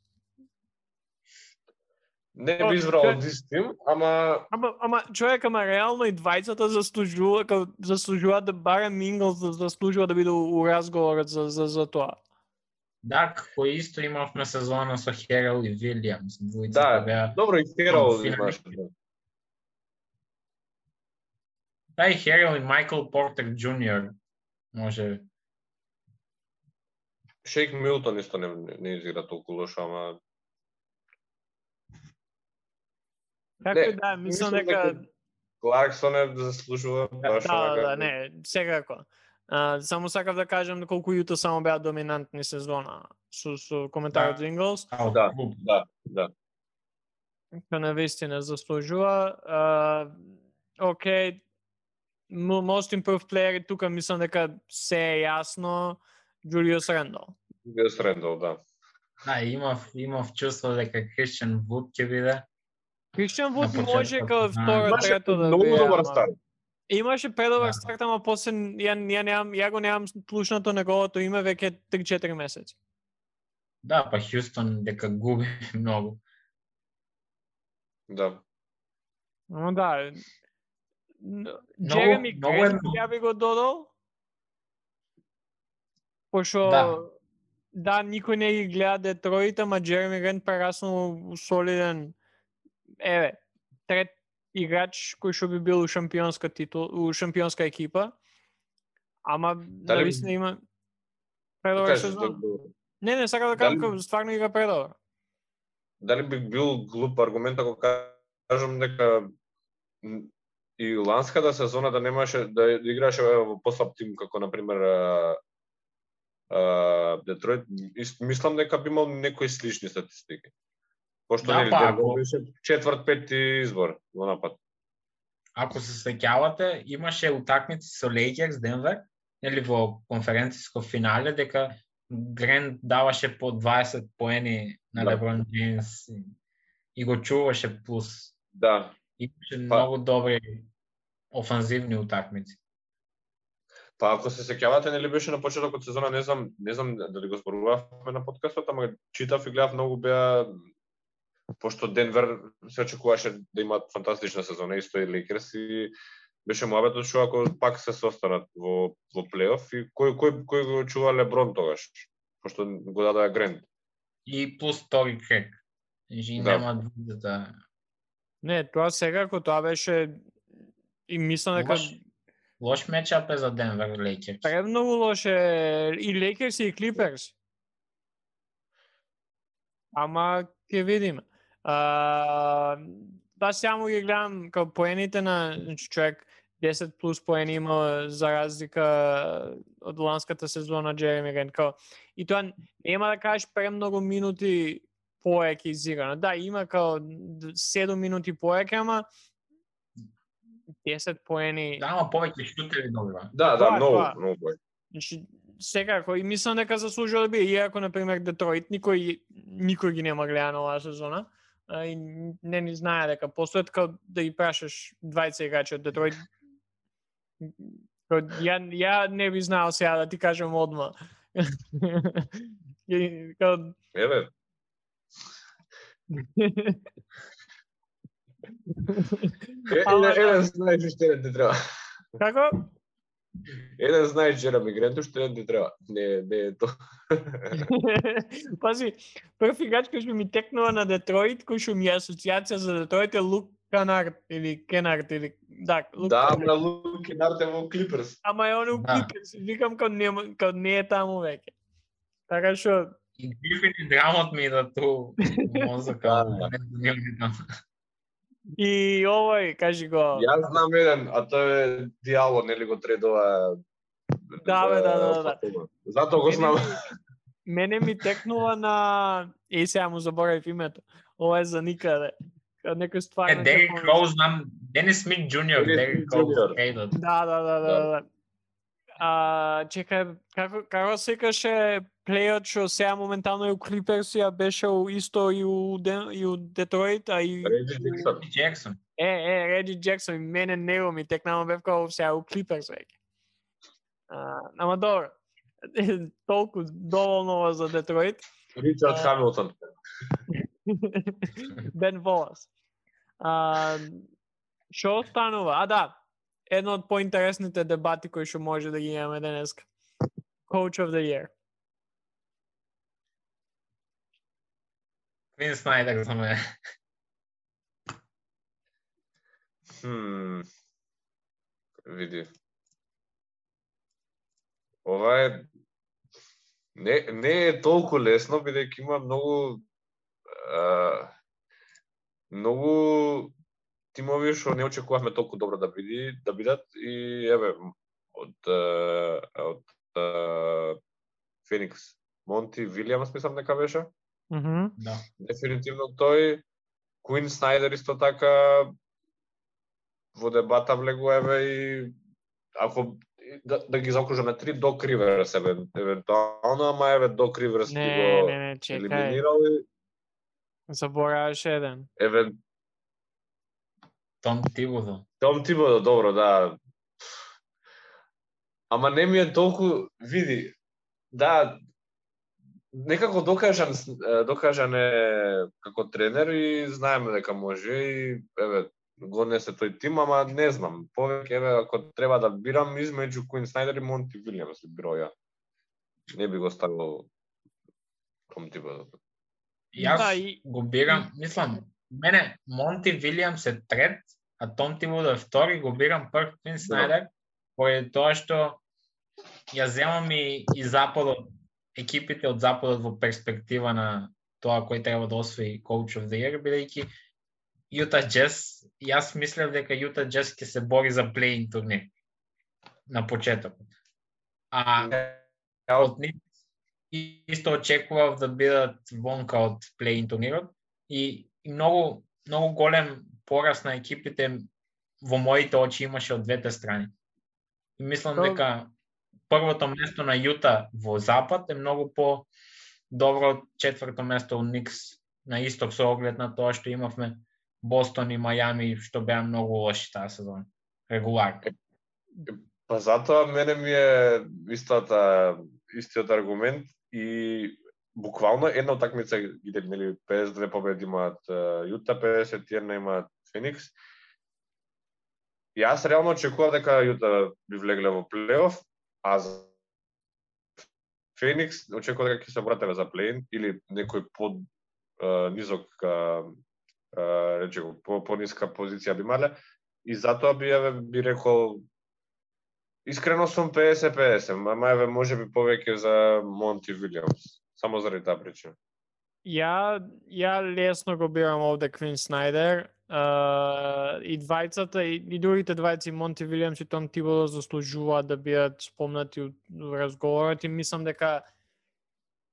Не би избрал од истим, ама човек, реално и двајцата заслужува да барем Инглс заслужува да биде у разговорот за тоа. Да, кој исто имавме сезона со Херал и Вилијамс. Да, беа... добро и Херал имаше. Да, и Херал и Майкл Портер Джуниор може. Шейк Милтон исто не изигра толку лошо, ама како да, мислам дека Кларксон е заслужува баш така. Да, не, секако. Само сакав да кажам колку Јута само беа доминантни сезона со коментарот за Инглс. Да. Ка навистина заслужува. Окей, most improved player тука мислам дека се е јасно Джулиус Рендал. Джулиус Рендал, да. Да, имав чувство дека Кристијан Вуд ќе биде. Кристијан Вуд може као второ, трето да биде. Многу добар старт. Имаше предобар старт, ама после ја го немам слушнато неговото име веќе 3-4 месеци. Да, па Хјустон дека губи многу. Да. Но да. Джереми Грент ја би го додал. Пошо да, никој не ги гледа Детроит, ама Джереми Грент прераснал солиден трет играч кој што би бил у шампионска шампионска екипа. Ама навистина има предобар сезон. Не, сакам да кажам, стварно игра предобар. Дали би бил глуп аргумент ако кажам дека и ланската сезона да немаше да играше во послаб тим како на пример Детройт, мислам дека би имал некои слични статистики. Пошто беше четврт, пети избор во напад. Ако се сеќавате, имаше утакмици со Лейкерс Денвер, нели во конференциско финале дека Грент даваше по 20 поени на Леброн Джеймс и го чуваше плюс. Да. Имаше многу добри офанзивни утакмици. Па ако се сеќавате, нели беше на почетокот сезона, не знам дали го зборувавме на подкастот, ама читав и гледав многу беа, пошто Денвер се очекуваше да имаат фантастична сезона, исто и Лейкерс, и беше муабетот што ако пак се состанат во плейоф, и кој го чува Леброн тогаш, пошто го дадоа Грент. И плюс Тори Крек. И нема двујата. Не, тоа секако, тоа беше и мислам дека Лош мечап е за Денвер Лейкерс. Премногу лоше и Лейкерс и Клиперс. Ама ќе видиме. Да, само ги гледам као поените на човек 10 плюс поени има за разлика од ланската сезона Джереми Грент. И тоа нема да кажеш премногу минути поеќе изиграно. Да, има као 7 минути поеќе, ама 10 поени. Да, ама повеќе шутери добива. Да, многу бој. Значи, секако, и мислам дека заслужува да биде, иако, например, Детройт никој ги нема гледано оваа сезона, и не ни знае дека постојат као да ги прашаш 20 играчи од Детройт. Ја не би знаел сега да ти кажам одма. Еве. Еден знаеш што не ти треба. Како? Еден знаеш Джереми Грент што не ти треба. Не е тоа. Пази, прв играч кој што ми текнува на Детройт, кој што ми е асоциација за Детройт е Лук Кенард или Лук. Да, на Лук Кенард е во Клиперс. Ама е он у Клиперс, викам као не е таму веќе. Така што и Грифин и драмот ми да ту мозока. И овој, кажи го. Јас знам еден, а тој е Диало, нели го тредува. Да. Затоа го знам. Мене ми текнува на сега му заборавив името. Ова е за никаде. Некој стварно. Дерик Роуз знам, Денис Смит Джуниор, Дерик Роуз. Да. Чекај, како се каже плејот што сега моментално е у Клиперс, ја беше исто и у Детройт, а и Реджи Джексон. Реджи Джексон, мене него ми текнава бев као сега у Клиперс веќе. Ама добро. Толку доволно за Детройт. Ричард Хамилтон. Бен Волас. Што останува? Да. Едно од поинтересните дебати кои што може да ги имаме денеска. Coach of the Year. Квин Снайдер за мене. Види. Ова е не е толку лесно, бидејќи има многу тимови што не очекувавме толку добро да бидат, и еве од Феникс Монти Вилијамс мислам дека беше. Да. Дефинитивно тој. Квин Снайдер исто така во дебата влегува, еве, и ако да ги заокружаме 3 Док Риверс евентуално, ама еве Док Риверс ги го елиминирал и забораваш еден. Том Тибодо, добро, да. Ама не ми е толку, види, да, некако докажан е како тренер и знаеме дека може, и еве го несе тој тим, ама не знам, повеќе еве ако треба да бирам измеѓу Квин Снайдер и Монти Вилијамс, броја. Не би го ставил Том Тибодо. Јас го бирам, мислам, мене Монти Вилијамс е трет, а Том Тибодо е втори, го бирам прв Квин Снайдер, поради тоа што ја земам и западот, екипите од западот во перспектива на тоа кој треба да освои Coach of the Year, бидејќи Юта Джез, јас мислев дека Юта Джез ќе се бори за плей-ин турнир на почетокот. Од нив исто очекував да бидат вонка од плей-ин турнирот и многу голем порас на екипите во моите очи имаше од двете страни. И мислам дека првото место на Јута во запад е многу по добро од четврто место у Никс на исток со оглед на тоа што имавме Бостон и Мајами што беа многу лоши таа сезона. Регуларно. Па затоа мене ми е истиот аргумент и буквално една утакмица ги нели 52 победи имаат Јута, 51 имаат Феникс. Јас реално очекував дека Јута би влегле во плейоф, а за Феникс очекував дека ќе се врателе за плей-ин или некој под низок рече по ниска позиција би мале и затоа би рекол искрено сум 50-50, мајве можеби повеќе за Монти Вилијамс, само заради таа причина. Ја лесно го бирам овде Квин Снајдер. И двајцата и другите двајци Монти Вилијамс и Том Тибодо заслужуваат да бидат спомнати во разговорот и мислам дека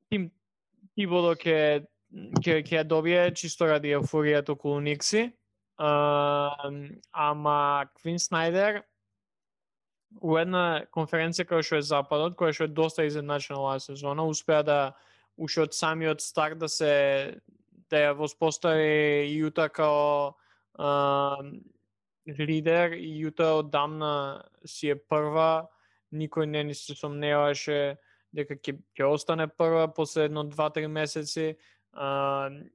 Тим Тибодо ќе ја добие чисто ради еуфоријата околу Никси. Ама Квин Снајдер у една конференција која што е Западот, која што е доста изедначена оваа сезона, успеа да уште од самиот старт да ја воспостави Јута као лидер и Јута одамна си е прва, никој не се сомневаше дека ќе остане прва после 1-2-3 месеци.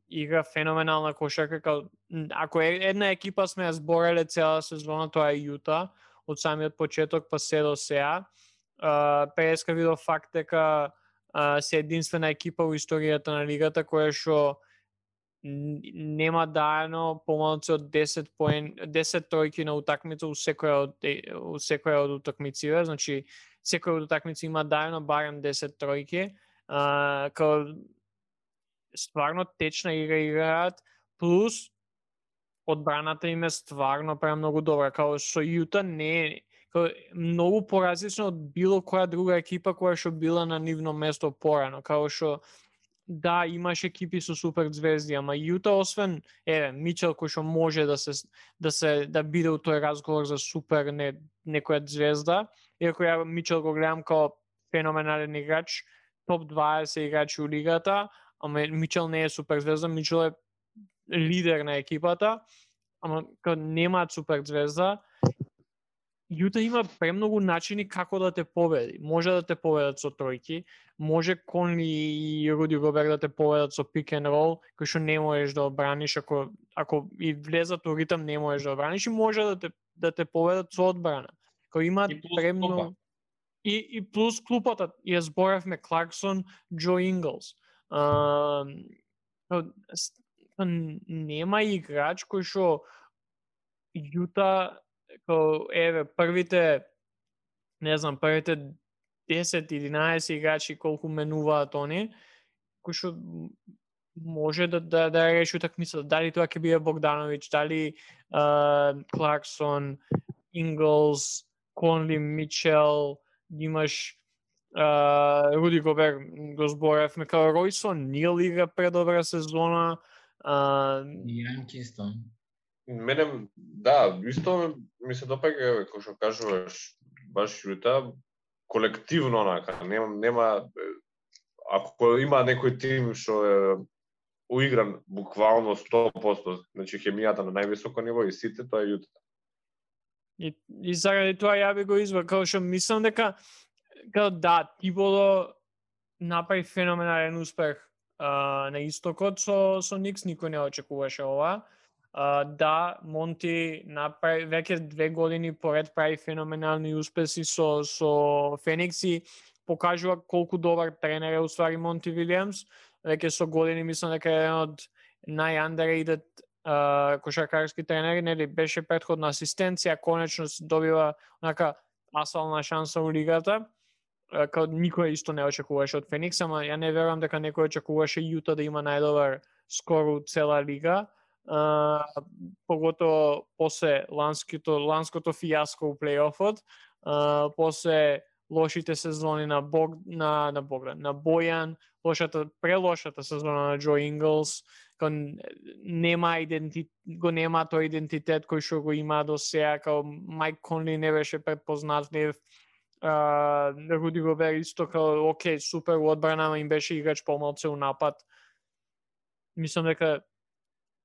Игра феноменална кошарка, ако една екипа сме ја збореле цела сезона, тоа е Јута, од самиот почеток па се до сега. ПСК видов факт дека се единствена екипа во историјата на лигата која што нема даено помалку од 10 тројки на утакмица у секоја од утакмиците, значи секоја од утакмици има даено барем 10 тројки. Као стварно течна игра играат, плюс одбраната им е стварно премногу добра, као со Јута не е многу поразлично од било која друга екипа која што била на нивно место порано, као што да, имаш екипи со супер звезди, ама Јута освен Мичел кој што може да биде у тој разговор за супер некоја звезда, иако ја Мичел го гледам као феноменален играч, топ 20 играчи у лигата, ама Мичел не е супер звезда, Мичел е лидер на екипата, ама као немаат супер звезда. Јута има премногу начини како да те победи. Може да те победат со тројки, може Конли и Руди Гобер да те победат со пик and roll, кој што не можеш да одбраниш, ако и влезат во ритм не можеш да одбраниш, и може да те победат со одбрана. Кој имаат премногу и плюс клупата, ја зборавме Кларксон, Џо Инглс. Нема играч кој што Јута првите 10-11 играчи колку менуваат они, кој што може да реши утакмицата. Дали тоа ќе биде Богдановиќ, дали Кларксон, Инглс, Конли, Мичел, имаш Руди Гобер, го зборевме, као Ројсон Нил игра предобра сезона. Јанки Мене, да, исто ми се допаѓа, кој што кажуваш, баш Јута, колективно онака, нема, ако има некој тим што е уигран буквално 100%, значи хемијата на највисоко ниво и сите, тоа е Јута. И заради тоа ја би го избрал, као што мислам дека, да, Тибодо направи феноменален успех на истокот со Никс, никој не очекуваше ова. Да, Монти направи веќе 2 години поред прави феноменални успеси со Феникс и покажува колку добар тренер е уствари Монти Вилијамс. Веќе со години мислам дека е еден од нај-underrated кошаркарски тренери, нели беше претходна асистенција, конечно добива онака асфална шанса во лигата. Као никој исто не очекуваше од Феникс, ама ја не верувам дека некој очекуваше Јута да има најдобар скор у цела лига. Поготово после ланското фијаско у плейофот, после лошите сезони на Бојан, прелошата сезона на Џо Инглс, нема тој идентитет кој што го има до сега, као Мајк Конли не беше предпознатлив, Руди Гобер исто као окей, супер у одбрана, ама им беше играч помалце у напад. Мислам дека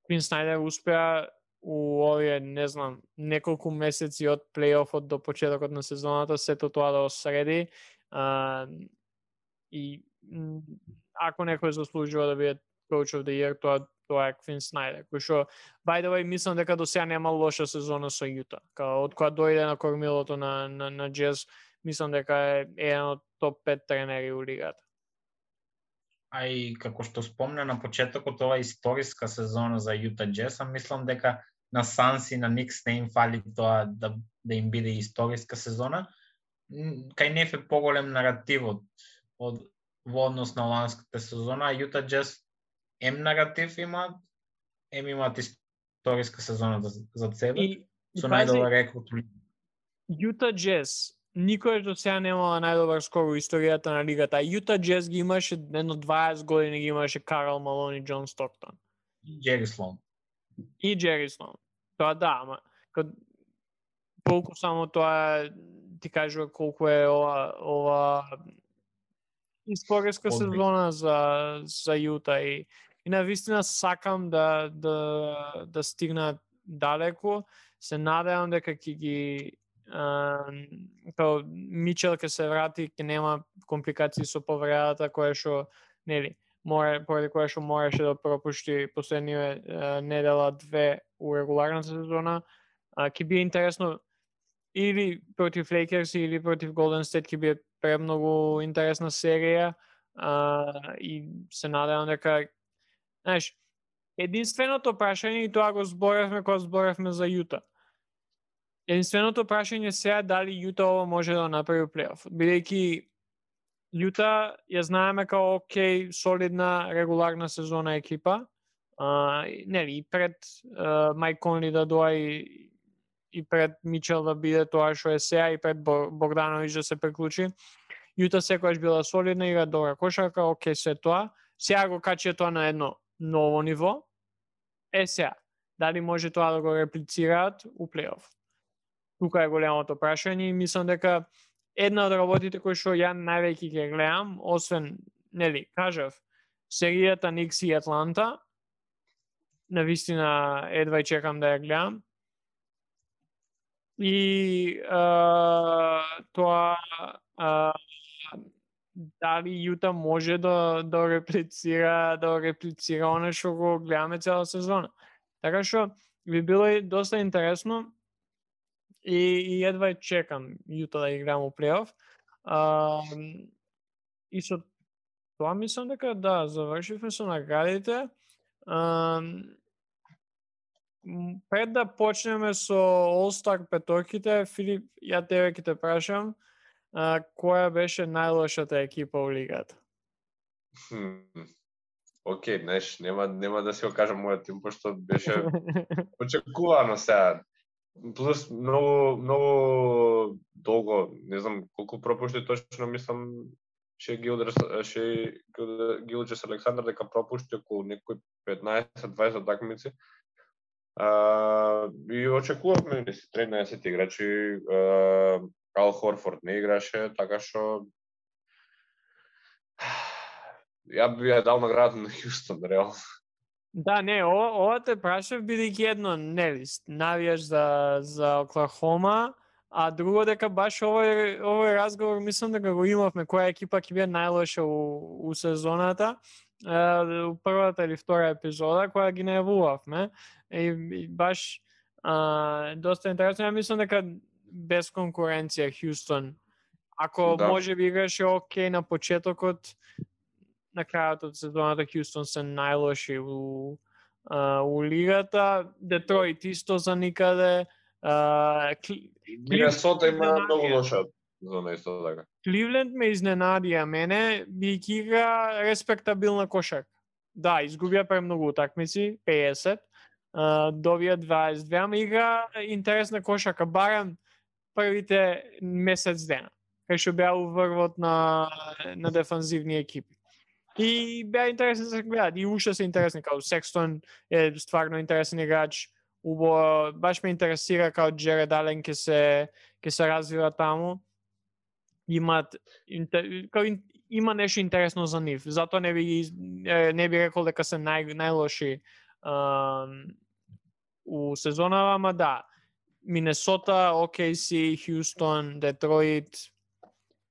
Квин Снайдер успеа у овие, не знам, неколку месеци од плейофот до почетокот на сезоната сето тоа да осреди. И ако некој заслужува да биде Coach of the Year, тоа е Квин Снайдер, кој што, by the way, мислам дека до сега нема лоша сезона со Јута. Од кога дојде на кормилото на Джез, мислам дека е еден од топ 5 тренери у лигата. А и како што спомна на почетокот, ова историска сезона за Јута Джез, мислам дека на Санс и на Никс не им фали тоа да им биде историска сезона. Кај неф е поголем наративот во однос на ланската сезона, а Јута Джез наратив имаат, имаат историска сезона за себе, со најдобар рекорд. Јута Джез никој до сега немала најдобар скор во историјата на лигата, а Јута Джез ги имаше едно 20 години, ги имаше Карл Малон и Џон Стоктон. И Джери Слоун. Тоа да, ама колку само тоа ти кажува колку е ова историска сезона за Јута и навистина сакам да стигнат далеку. Се надевам дека ќе ги као Мичел ќе се врати, ќе нема компликации со повредата која што поради која што мораше да пропушти последниве недела 2 у регуларната сезона. Ќе биде интересно или против Лейкерс или против Голден Стейт, ќе биде премногу интересна серија и се надевам дека знаеш, единственото прашање, и тоа го зборевме кога зборевме за Јута. Единственото прашање сега дали Јута ова може да направи плейоф. Бидејќи Јута ја знаеме као окей, солидна регуларна сезона екипа. И пред Майк Конли да доаѓа и пред Мичел да биде тоа што е сега и пред Богдановиќ да се приклучи. Јута секогаш била солидна, игра добра кошарка, окей, се тоа. Сега го качи тоа на едно ново ниво. Сега, дали може тоа да го реплицираат у плейоф? Тука е големото прашање и мислам дека една од работите кои што ја највеќе ќе гледам, освен, кажав, серијата Никс и Атланта, навистина едва чекам да ја гледам. И тоа дали Јута може да реплицира оно што го гледаме цела сезона. Така што би било доста интересно и едва чекам Јута да играм у плейоф. И со тоа мислам дека да, завршивме со наградите. Пред да почнеме со All-Star петорките, Филип, ја тебе ќе те прашам, која беше најлошата екипа у лигата? Океј, нема да си го кажам мојот тим, пошто беше очекувано сега. Плюс многу долго, не знам колку пропушти точно, мислам Гилджес Александар дека пропушти околу некои 15-20 такмици. И очекувавме 13 играчи, Ал Хорфорд не играше, така што ја би ја дал наградата на Хјустон, реално. Да, не, ова те прашав бидејќи едно, навијаш за Оклахома, а друго дека баш овој разговор мислам дека го имавме, која екипа ќе биде најлоша у сезоната, у првата или втора епизода, која ги најавувавме. И баш доста интересно, ја мислам дека без конкуренција Хјустон, ако може би играше окей на почетокот, на крајот од сезоната Хјустон се најлоши у лигата. Детройт исто за никаде. Минесота има многу лоша зона исто така. Кливленд ме изненадија мене, бијќи игра респектабилна кошарка. Да, изгубија премногу утакмици, 50, добија 22, ама игра интересна кошарка, барем првите месец дена, кај што беа уврвот на дефанзивни екипи. И беа интересни да се гледат, и уште се интересни, као Секстон е стварно интересен играч, баш ме интересира као Джеред Ален ќе се развива таму. има нешто интересно за нив. Затоа не би рекол дека се најлоши у сезонава, ама да. Минесота, OKC, Хјустон, Детройт,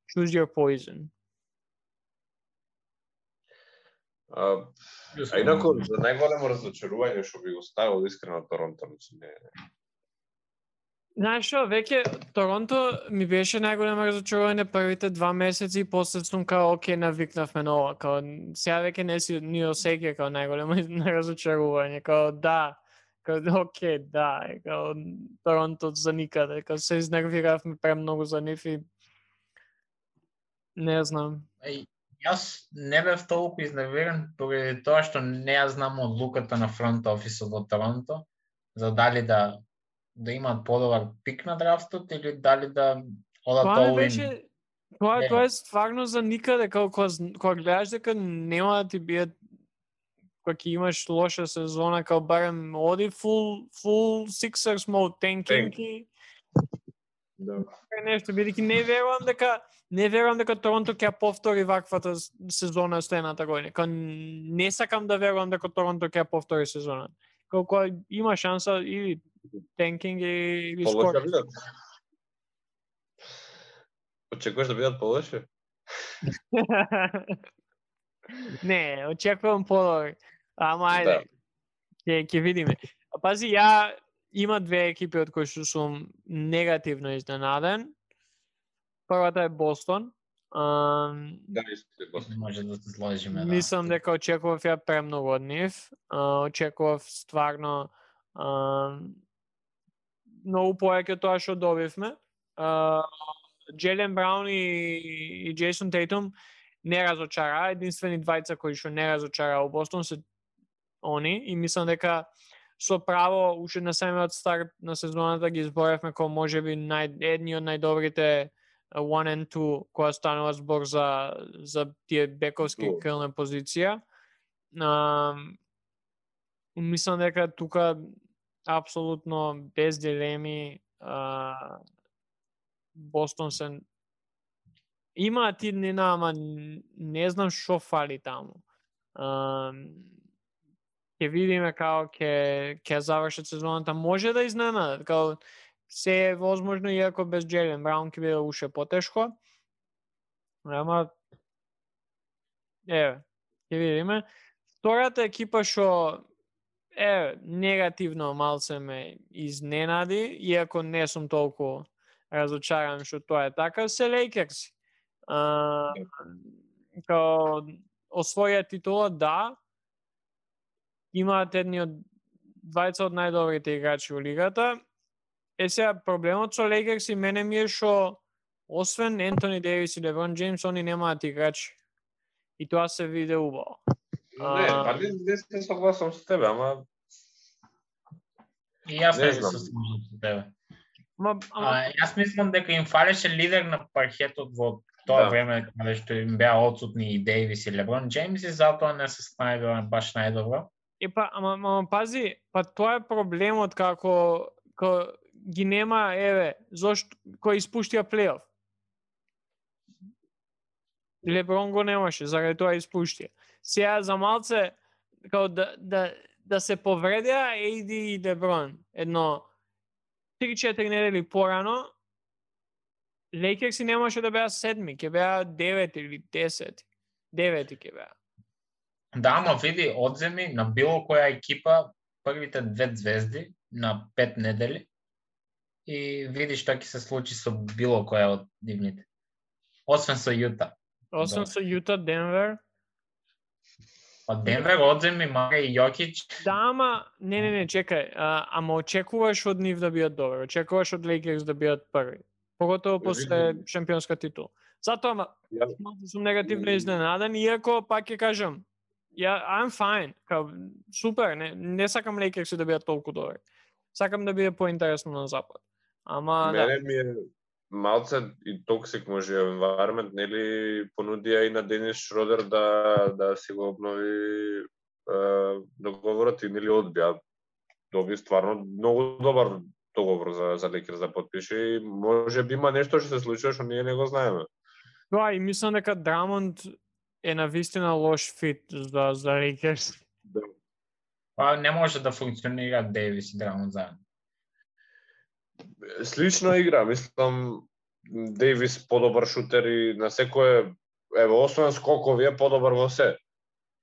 choose your poison. Инаку, за најголемо разочарување што би го ставил искрено Торонто, не. Знаеш што, веќе Торонто ми беше најголемо разочарување првите 2 месеци и после сум као окей, навикнавме на ова, као сега веќе не си ни осеќа као најголемо разочарување, као да, као окей, да, као Торонто за никаде, као се изнервиравме премногу за нив и не знам. Јас не бев толку изнервиран поради тоа што не ја знам одлуката на фронт офисот во Торонто за дали да имаат подобар пик на драфтот или дали да одат all-in. Тоа е стварно за никаде, кога гледаш дека нема да ти биде, кога ќе имаш лоша сезона, као барем оди full Sixers mode tanking и нешто, бидејќи не верувам дека Торонто ќе повтори ваквата сезона следната година. Не сакам да верувам дека Торонто ќе повтори сезона. Кога има шанса или танкинг или скор. Очекуваш да бидат полоши? Не, очекувам подобри. Ама ајде. Ќе видиме. Пази, има 2 екипи од кои што сум негативно изненаден. Првата е Бостон. Да, исто Бостон. Може да се сложиме. Мислам дека очекував ја премногу од нив. Очекував стварно многу повеќе тоа што добивме. Джейлен Браун и Джейсон Тейтум не разочара. Единствени двајца кои што не разочара во Бостон се они и мислам дека со право уште на самиот старт на сезоната ги изборевме како можеби едни од најдобрите 1 and 2 кога станува збор за тие бековски крилна позиција. Мислам дека тука апсолутно без дилеми Бостон се има тиднина, ама не знам што фали таму. Ќе видиме како ќе завршат сезоната, може да изненадат, као се е возможно, иако без Джейлен Браун ќе биде уште потешко. Ама ќе видиме. Втората екипа што негативно малце ме изненади, иако не сум толку разочаран што тоа е така, се Лейкерси. Као освоја титула, да, имаат едни од двајца од најдобрите играчи во лигата. Сега проблемот со Лейкерси мене ми е што освен Ентони Дейвис и Леброн Джеймс, они немаат играчи. И тоа се виде убаво. Не се согласам со тебе, ама и јас не се согласам со тебе. Јас мислам дека им фалеше лидер на паркетот во тоа време кога што им беа отсутни и Дейвис и Леброн Джеймс и затоа не се снајдоа баш најдобро. Ама пази, тоа е проблемот како ги нема, зошто кој испуштија плейоф. Леброн го немаше, заради тоа испуштија. Сега за малце као да се повредеа AD и Леброн едно 3-4 недели порано, Лейкерси немаше да беа 7, ќе беа 9 или 10. 9 ќе беа. Да, ама види, одземи на било која екипа првите 2 звезди на 5 недели и види што ќе се случи со било која од дивните. Освен со Јута. Освен со Јута, Денвер. Па Денвер одземи мага и Јокич. Да, ама не, чекај. Ама очекуваш од нив да бидат добри. Очекуваш од Лейкерс да бидат први. Поготово после шампионска титула. Затоа сум негативно изненаден, иако пак ќе кажам, I'm fine. Супер, не сакам Лейкерси да бидат толку добри. Сакам да биде поинтересно на запад. Ама мене ми е малце и токсик може environment, нели понудија и на Денис Шродер да си го обнови договорот и нели одбија. Доби стварно многу добар договор за Лейкерс да потпише и може би има нешто што се случува што ние не го знаеме. Тоа и мислам дека Драмонд е навистина лош фит за Лейкерс. Па не може да функционира Дейвис и Драмонд заедно. Слична игра, мислам Дейвис подобар шутер и на секое, ево, освен скокови е подобар во се.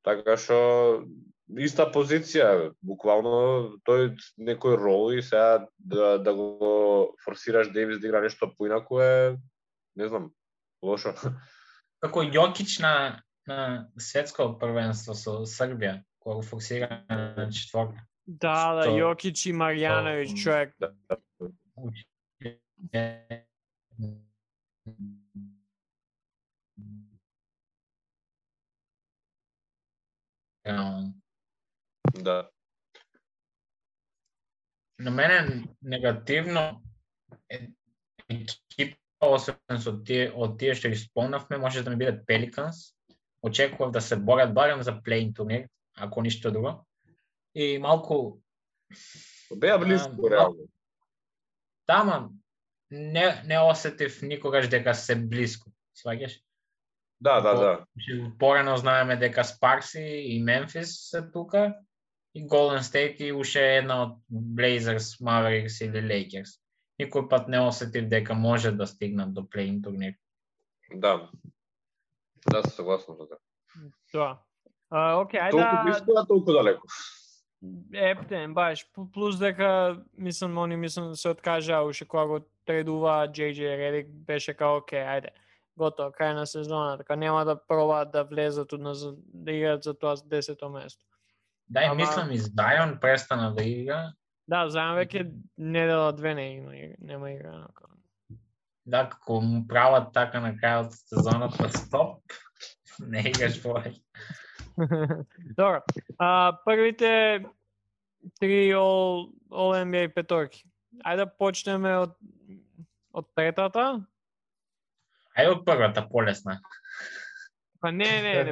Така што иста позиција, буквално тој некој рол и сега да го форсираш Дейвис да игра нешто поинаку е, не знам, лошо. Како Јокич на светско првенство со Србија, кога го фокусира на четворка. Да, Јокич и Марјановиќ, човек. Да. На мене негативно екипа, освен од тие што ги спомнавме, може да ми биде Пеликанс. Очекував да се борат барем за плей-ин турнир, ако ништо друго. И малку Беа близко реално. Тама не осетив никогаш дека се близко, сваѓаш? Да. Порано знаеме дека Спарси и Мемфис се тука и Голден Стейт и уште една од Блейзерс, Маверикс или Лейкерс. Никој пат не осетив дека може да стигнат до плей-ин турнир. Да. Да, се согласувам со тоа. Да. Окей, ајде. Толку близко, а толку далеко. Ептен, баш. Плюс дека, мислам се откажа уште кога го тредува JJ Redick, беше као, окей, ајде. Готово, крај на сезона, така нема да пробаат да влезат да играат за тоа 10-то место. Да, и мислам и Зајон престана да игра. Да, Зајон веќе недела две нема игра. Да, како му прават така на крајот од сезоната, стоп, не играш повеќе. Добро, првите 3 All-NBA петорки. Ајде да почнеме од третата. Ајде од првата, полесна. Па не,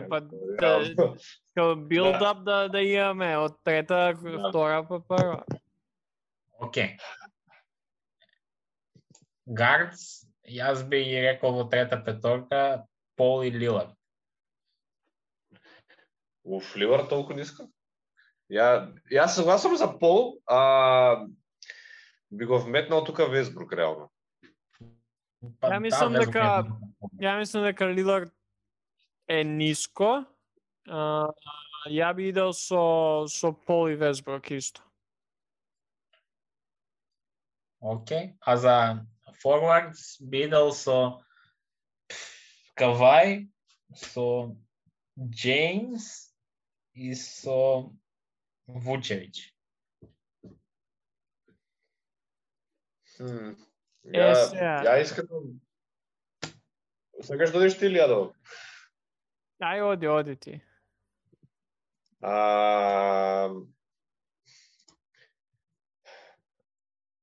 па како билд-ап да имаме од трета, втора па прва. Окей. Гардс, јас би ги рекол во трета петорка Пол и Лилард. Лилард толку ниско? Јас согласувам за Пол, би го вметнал тука Весбрук реално. Ја мислам дека Лилард е ниско. Ја би идел со Пол и Весбрук исто. Окей, а за форвардс би идел со Кавај, со Джеймс и со Вучевич. Ја искам. Сакаш да одиш ти или ја да? Ај, оди ти.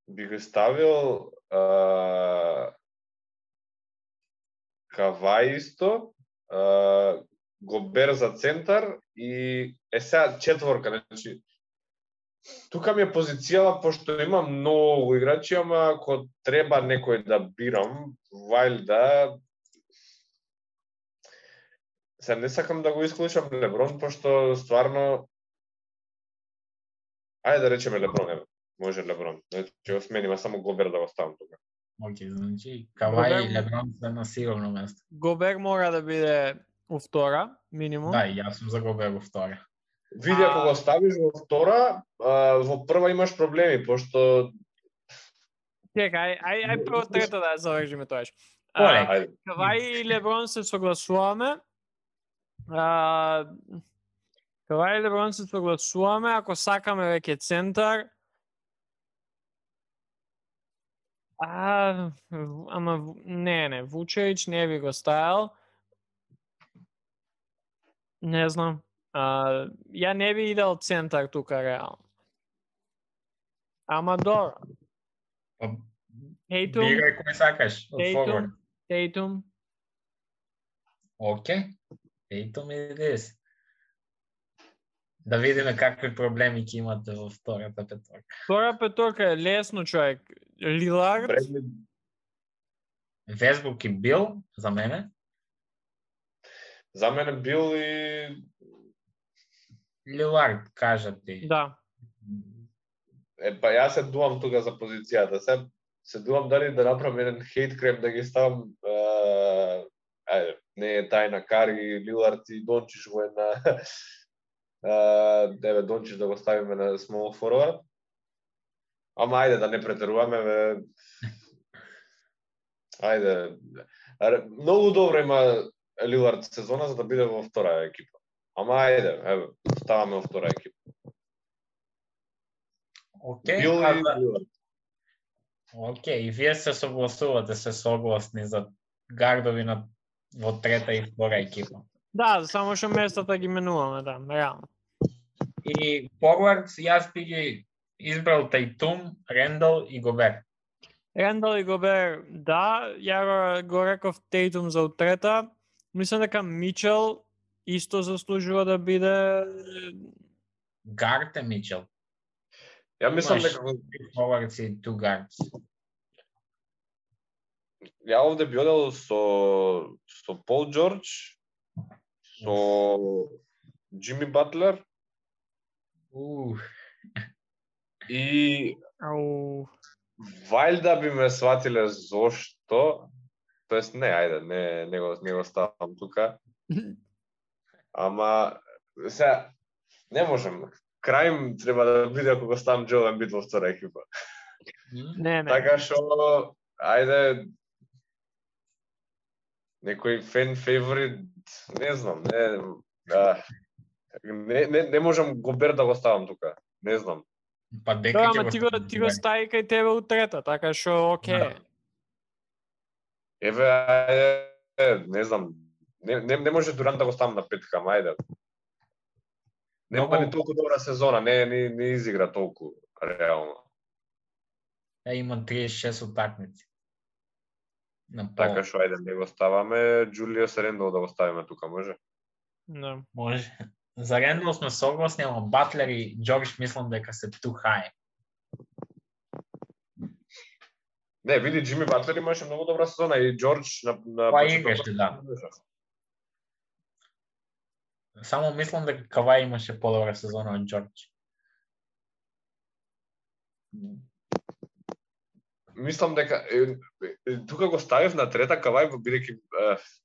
Би го ставил Кавај исто, Гобер за центар и сега четворка, значи тука ми е позицијала, пошто има многу играчи, ама ако треба некој да бирам, вајлда, се не сакам да го исклучам Леброн, пошто стварно, ајде да речеме Леброн, може Леброн, значи го смениме само Гобер да го ставам тука. Окей, значи Кавај и Леброн се на сигурно место. Гобер мора да биде у втора, минимум. Да, јас сум за Гобер во втора. Види, ако го ставиш во втора, во прва имаш проблеми, пошто... Чекај, ај прво трета да завршиме тоаш. Кавај и Леброн се согласуваме. Кавај и Леброн се согласуваме, ако сакаме веќе центар. Ама не, Вучевич не би го ставил. Не знам. Ја не би идел центар тука реално. Ама добро. Бирај кој сакаш од форвард. Тейтум. Окей. Тейтум и дес. Да видиме какви проблеми ќе имате во втората петорка. Втора петорка е лесно, човек. Лилард. Весбрук и Бил за мене. За мене бил и Лилард, кажат ти. Да. Па јас се дуам тука за позицијата. Се дуам дали да направам еден хейт крем да ги ставам не е тајна Кари, Лилард и Дончич во една Дончич да го ставиме на small forward. Ама ајде да не претеруваме, ајде. Многу добро има Лилард сезона за да биде во втора екипа. Ама ајде, ставаме во втора екипа. Океј, и вие се согласувате, се согласни за гардови во трета и втора екипа. Да, само што местата ги менуваме, да, реално. И форвардс, јас би ги избрал Тајтум, Рендал и Гобер. Рендал и Гобер, да, ја го реков Тейтум за утрета. Мислам дека Мичел исто заслужува да биде гард е Мичел. Ја мислам дека форвардс и ту гардс. Ја овде би одел со Пол Џорџ, со Джими Батлер и вајлда би ме сватиле зошто, тоест не, ајде, не го ставам тука. Ама сега не можем. Крајм треба да биде ако го ставам Джоел Ембид во втора екипа. Не. Така што ајде некој фен фаворит, не знам, не можам Гобер да го ставам тука. Не знам. Па дека ама ти го стави кај тебе утрета, така што окей. Еве, не знам. Не може Дурант да го ставам на петка, ама ајде. Нема ни толку добра сезона, не изигра толку реално. Има 36 утакмици. Така што ајде не го ставаме, Џулиус Рендал да го ставиме тука, може? Да. Може. За Рендал сме согласни, ама Батлер и Џорџ мислам дека се too high. Не, види, Джими Батлер имаше многу добра сезона и Џорџ на Па играше, да. Само мислам дека Кавај имаше подобра сезона од Џорџ. Мислам дека тука го ставив на трета Кавај, бидејќи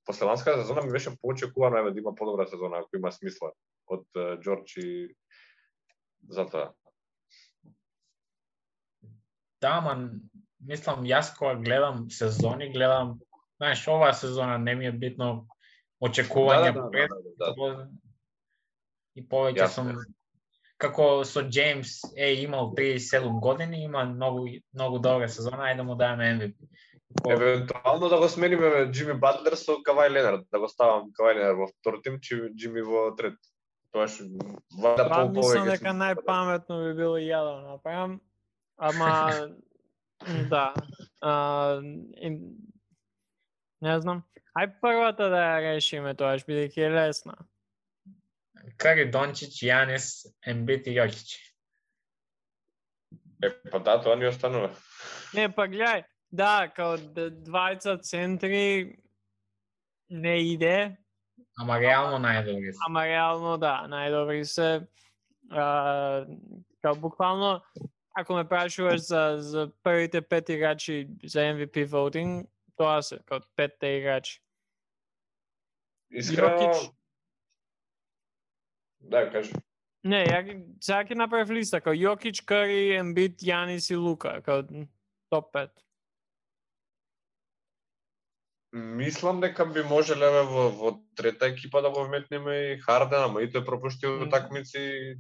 после ланската сезона ми беше поочекувано да има подобра сезона, ако има смисла од Џорџ и затоа. Да, ама мислам јас кога гледам сезони, знаеш, оваа сезона не ми е битно очекување и повеќе сум како со Джеймс имал 37 години, има многу добра сезона, ајде да му даваме MVP. Евентуално да го смениме Джими Батлер со Кавај Ленард, да го ставам Кавај Ленард во втор тим, Джими во трет. Тоа што вада мислам дека најпаметно би било и ја да направам, ама да. Не знам. Ај првата да ја решиме тоа, бидејќи е лесна. Кари, Дончич, Јанис, Ембит и Јокич. Па да, тоа ни останува. Не, па гледај, да, као двајца центри не иде. Ама реално најдобри се. Ама реално да, најдобри се. Као буквално, ако ме прашуваш за првите 5 играчи за MVP voting, тоа се, као 5 играчи. Искрено... Да, кажи. Не, сега ќе направив листа, као Јокич, Кари, Ембит, Јанис и Лука, као топ 5. Мислам дека би можеле во трета екипа да го вметнеме и Харден, ама и тој пропуштил утакмици.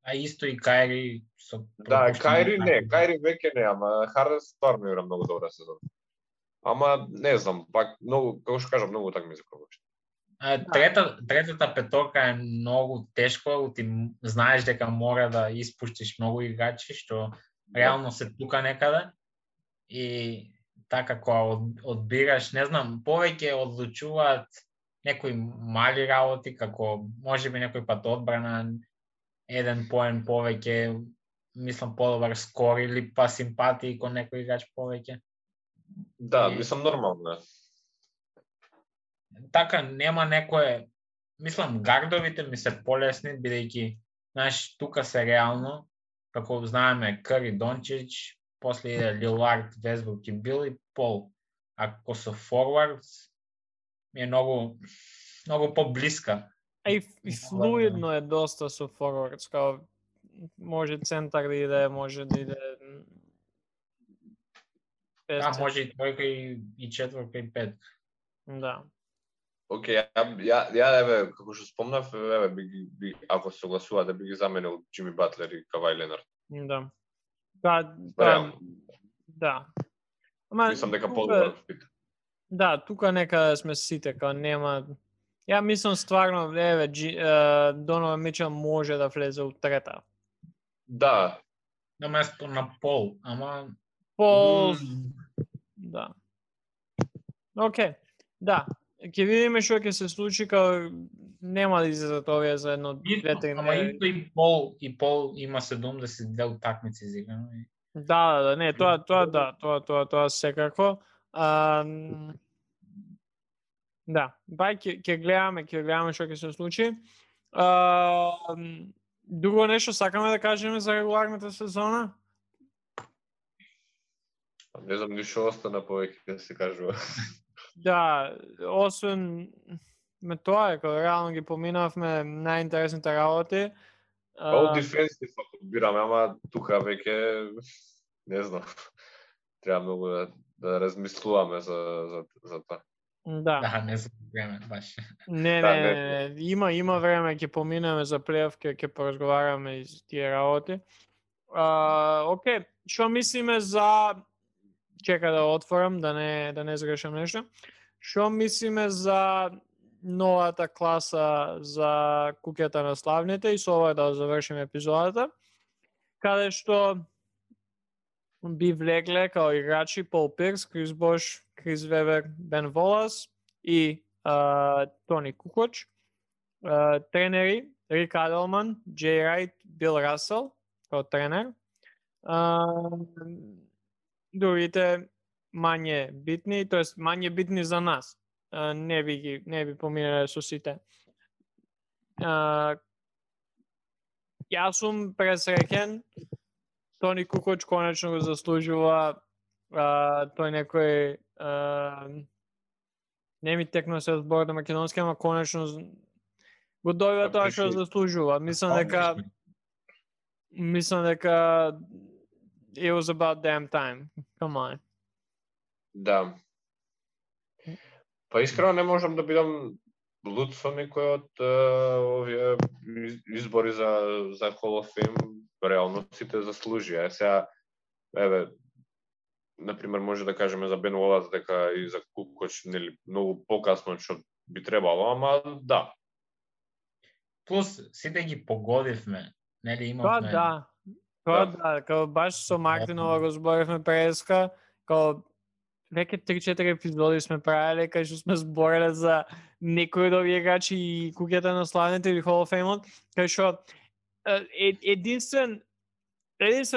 А исто и Кајри со Да, Кајри веќе не, ама Харден стварно игра многу добра сезона. Ама не знам, пак многу, како што кажам, многу утакмици пропушти. Третата петорка е многу тешко, ти знаеш дека мора да испуштиш многу играчи што реално се тука некаде и така кога одбираш, не знам, повеќе одлучуваат некои мали работи, како можеби некој пат одбрана, еден поен повеќе, мислам подобар скор или па симпатии кон некој играч повеќе. Да, мислам нормално. Така нема некое мислам, гардовите ми се полесни, бидејќи, знаеш, тука се реално, како знаеме, Кари, Дончич, после иде Лилард, Весбрук и Бил и Пол. Ако со форвардс, ми е многу поблиска. И флуидно е доста со форвардс, као може центар да иде, може да иде... Да, може и тројка и четворка и пет. Да. Океј, ја еве, како што спомнав, еве, би ако се согласува да би ги заменил Џими Батлер и Кавај Ленард. Да. Да. Ама мислам дека подобар спит. Да, тука некаде сме сите, као нема... Ја мислам стварно, еве, Донован Мичел може да влезе у трета. Да. На место на Пол, ама... Пол... Да. Океј, да. Ќе видиме што ќе се случи, као нема да излезат овие за едно, две-три... Ама и Пол има 72 утакмици изиграно. Да, не, тоа секако. Да, бај ќе гледаме што ќе се случи. Друго нешто сакаме да кажеме за регуларната сезона? Не знам ништо остана повеќе да се кажува. Да, освен тоа е, кога реално ги поминавме најинтересните работи. All defensive бираме, ама тука веќе не знам. Треба многу да размислуваме за тоа. Да, не се време баш. Не, има време ќе поминеме за плейоф, ќе поразговараме и за тие работи. Океј, што мислиме за... Чека да отворам, да не сгрешам нешто. Што мислиме за новата класа за куќата на славните и со ова да завршиме епизодата, каде што би влегле као играчи Пол Пирс, Крис Бош, Крис Вебер, Бен Волас и Тони Кукоч, тренери Рик Аделман, Джей Райт, Бил Расел као тренер, другите мање битни, тоест мање битни за нас. Не би поминале со сите. Јас сум пресреќен. Тони Кукоч конечно го заслужува. Тој некој не ми текно се збор на македонски, ама конечно го добива тоа што заслужува. Мислам дека it was about damn time. Come on. Да. Па искрено не можам да бидам луд со некој од овие избори за Hall of Fame. Реално сите заслужија. Сега, еве, например, може да кажеме за Бен Волас дека и за Кукоч нели многу покасно што би требало, ама да. Плюс сите ги погодивме, нели имавме. Тоа да, као баш со Мартинова го зборевме преска, као веќе 3-4 епизоди сме правеле кај што сме збореле за некои од овие играчи и куќата на славните или Hall of Fame, кај што единствен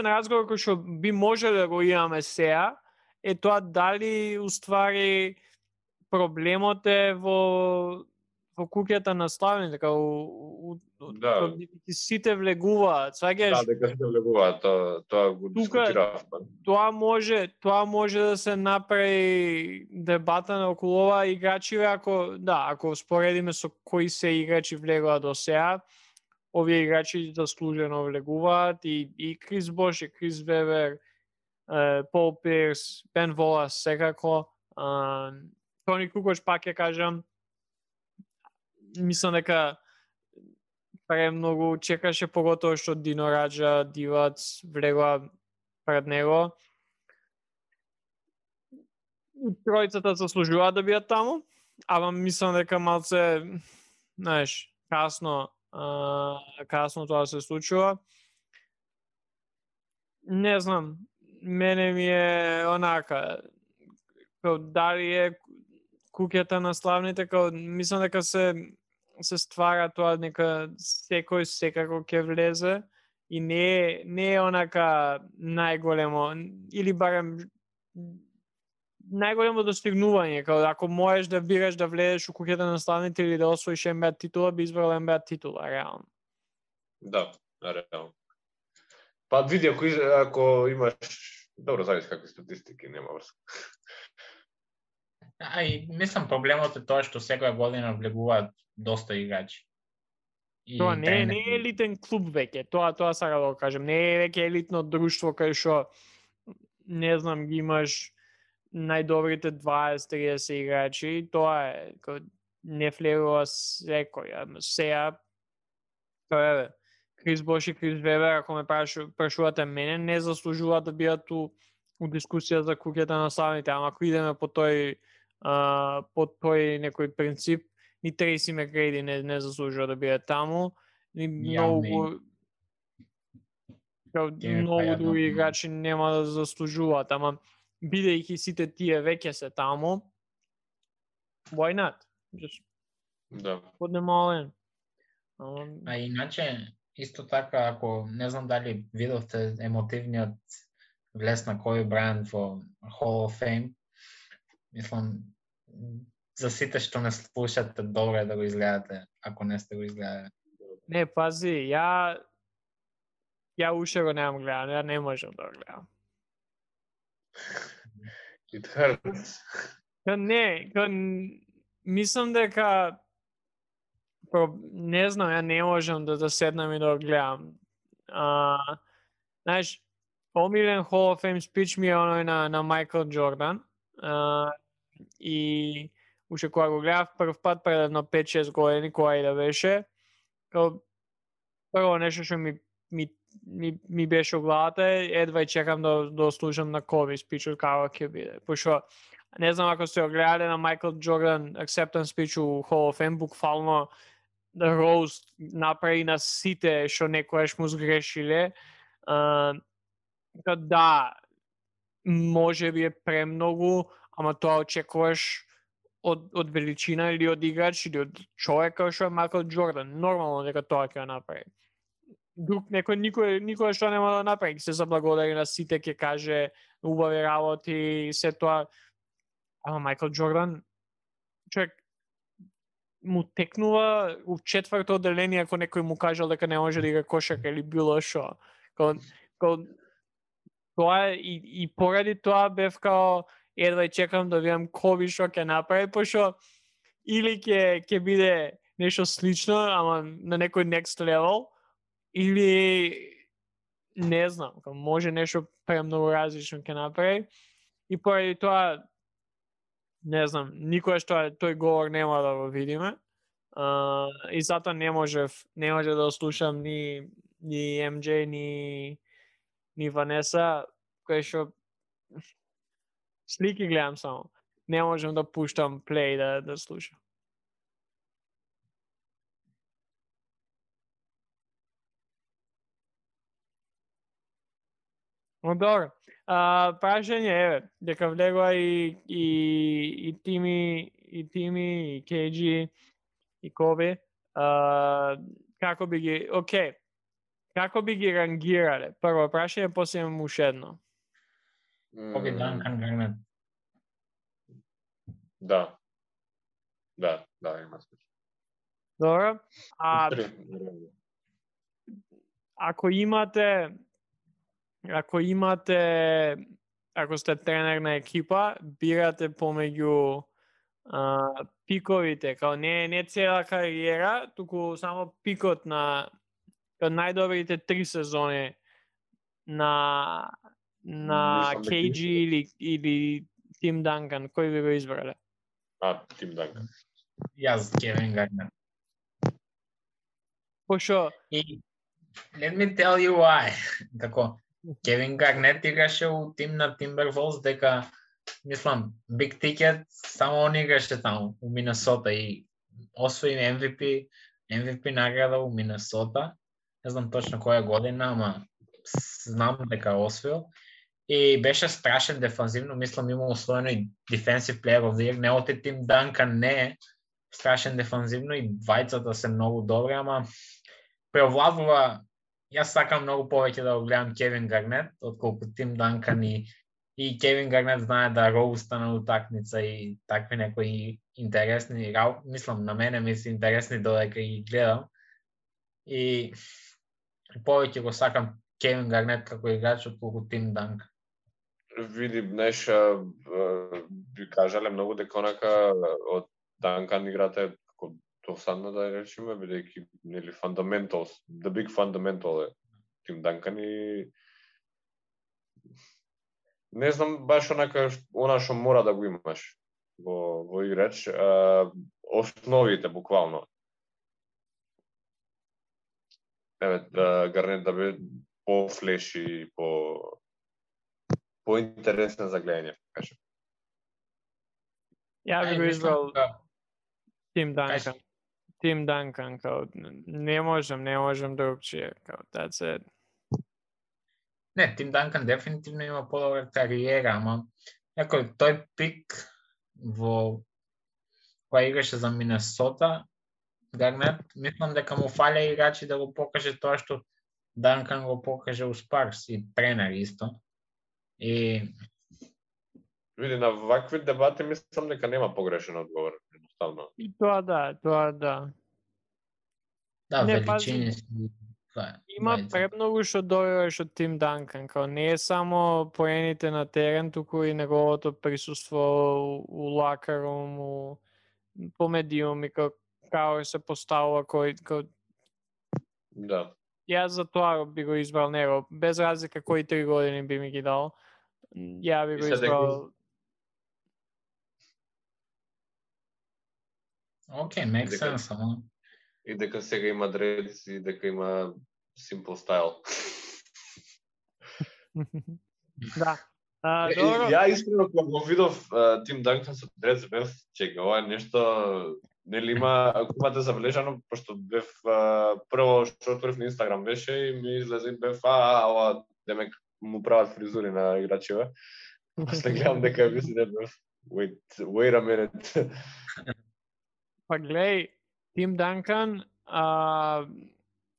разговор кој што би можеле да го имаме сега е тоа дали уствари проблемот е во куќата на славните, као сите влегуваат, сваѓаш? Да, дека сите влегуваат, тоа го дискутиравме. Тоа може да се направи дебата на околу ова играчи, ако споредиме со кои се играчи влегуваат до сега, овие играчи заслужено влегуваат и Крис Бош, и Крис Вебер, Пол Пирс, Бен Волас секако, Тони Кукоч пак ќе кажам, мислам дека премногу чекаше, поготово што Дино Раджа, Дивац влегува пред него. Тројцата заслужуваат да бидат таму, ама мислам дека малце, знаеш, касно тоа се случува. Не знам, мене ми е онака, као дали е куќата на славните, као мислам дека се ствара тоа нека секој секако ќе влезе и не е онака најголемо или барем најголемо достигнување, као ако можеш да бираш да влезеш у куќата на наставниците или да освоиш NBA титула, би избрал NBA титула, реално. Да, реално. Па види, ако имаш... Добро, зависи какви статистики, нема врска. И мислам проблемот е тоа што секоја година влегуваат доста играчи. Тоа не е елитен клуб веќе, тоа сакам да го кажем, не е веќе елитно друштво кај што не знам, ги имаш најдобрите 20-30 играчи, тоа е не влегува секој, сега тоа е Крис Бош и Крис Вебер, ако ме прашувате мене, не заслужуваат да бидат у дискусија за куќата на наставниците, ама ако идеме по тој некој принцип, ни Трейси Макгрейди не заслужува да биде таму, ни многу други играчи нема да заслужуваат, ама бидејќи сите тие веќе се таму, why not? Да. Поднемален. А иначе, исто така, ако не знам дали видовте емотивниот влез на Коби Брајант во Hall of Fame, мислам, за сите што не слушате, добро е да го изгледате, ако не сте го изгледали. Не, пази, ја уште го немам гледан, ја не можам да го гледам. It hurts. Мислам дека не знам, ја не можам да седнам и да го гледам. Знаеш, омилен Hall of Fame спич ми е оној на Майкл Джордан. И уште кога го гледав прв пат пред едно 5-6 години, кога и да беше, прво нешто што ми беше у главата, едва и чекам да слушам на Коби спичот како ќе биде. Пошто не знам ако сте го гледале на Майкл Джордан acceptance спич у Hall of Fame, буквално да роуст направи на сите што некојаш му сгрешиле. Да, може би е премногу, ама тоа очекуваш од величина или од играч или од човек како што е Майкл Джордан. Нормално дека тоа ќе направи. Друг никој што нема да направи, се заблагодари на сите, ќе каже убави работи и се тоа. Ама Майкл Джордан, човек му текнува у четврто одделение ако некој му кажал дека не може да игра кошарка или било што. Тоа и поради тоа бев као едва чекам да видам Коби што ќе направи, пошто или ќе биде нешто слично, ама на некој next level, или не знам, може нешто премногу различно ќе направи. И поради тоа не знам, никогаш тој говор нема да го видиме. И затоа не може да слушам ни MJ ни Ванеса, кој што слики гледам само. Не можам да пуштам плей да слушам. Но добро. Прашање еве, дека влегува и Тими, и KG, и Коби. Како би ги, како би ги рангирале? Прво прашање, после имам уште едно. Коби, Данкан, Гарнет. Да, има смисла. Добро. Ако сте тренер на екипа, бирате помеѓу пиковите, као не цела кариера, туку само пикот на најдобрите 3 сезони на KG или Тим Данкан, кој би го избрале? Тим Данкан. Јас Кевин Гарнет. Пошо? Let me tell you why. Како Кевин Гарнет играше у тим на Timberwolves, дека мислам Big Ticket само он играше таму у Минесота и освои MVP награда у Минесота. Не знам точно која година, ама знам дека освоил. И беше страшен дефанзивно, мислам има освоено и Defensive Player of the Year. Неговите Тим Данкан не е страшен дефанзивно и двајцата се многу добри, ама преовладува. Јас сакам многу повеќе да го гледам Кевин Гарнет, отколку Тим Данкан и и Кевин Гарнет знае да роуста на утакмица и такви некои интересни, мислам на мене ми се интересни додека ги гледам. И повеќе го сакам Кевин Гарнет како играч отколку Тим Данкан. Види, знаеш, би кажале многу дека онака од Данкан играта е како досадна, да речеме, бидејќи нели fundamentals, the big fundamental е Тим Данкан и не знам баш онака она што мора да го имаш во играч, основите буквално. Еве, Гарнет да биде по-флеши, по-интересен за гледање, кажем. Ја би го избрал Тим Данкан. Тим Данкан, као, не можем другчие, као, that's it. Не, Тим Данкан дефинитивно има подобра кариера, ама некој тој пик во која играше за Минесота, Гарнет, мислам дека му фаля играчи да го покаже тоа што Данкан го покаже у Спарс и тренер исто. И види, на вакви дебати мислам дека нема погрешен одговор, едноставно. И тоа да. Да, Не, величини си. Има премногу што добиваш од Тим Данкан, као не е само поените на терен, туку и неговото присуство у лакарум, по медиум и како се поставува кој. Да. Јас за тоа би го избрал него, без разлика кои 3 години би ми ги дал. Ја би го избрал. Океј, make sense, ама. И дека сега има дредс и дека има simple style. Да. Добро. Ја искрено кога го видов Тим Данкан со дредс бев, чека, ова е нешто нели имате забележано, пошто бев прво што отворив на Инстаграм беше и ми излезе бев ова демек му прават фризури на играчите. После гледам дека мисли не бев. Wait a minute. Па гледај, Тим Данкан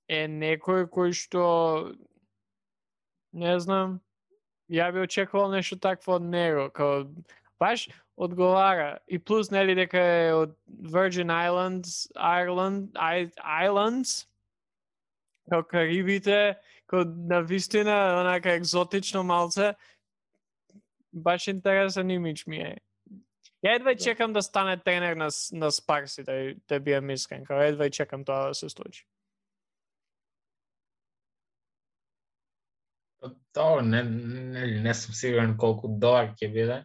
е некој кој што не знам, ја би очекувал нешто такво од него, као баш одговара и плюс нели дека е од Virgin Islands, као Карибите, као навистина онака екзотично малце, баш интересен имидж ми е. Ја едва чекам да стане тренер на Спарси, да биам искрен, као едва чекам тоа да се случи. Тоа не сум сигурен колку добар ќе биде.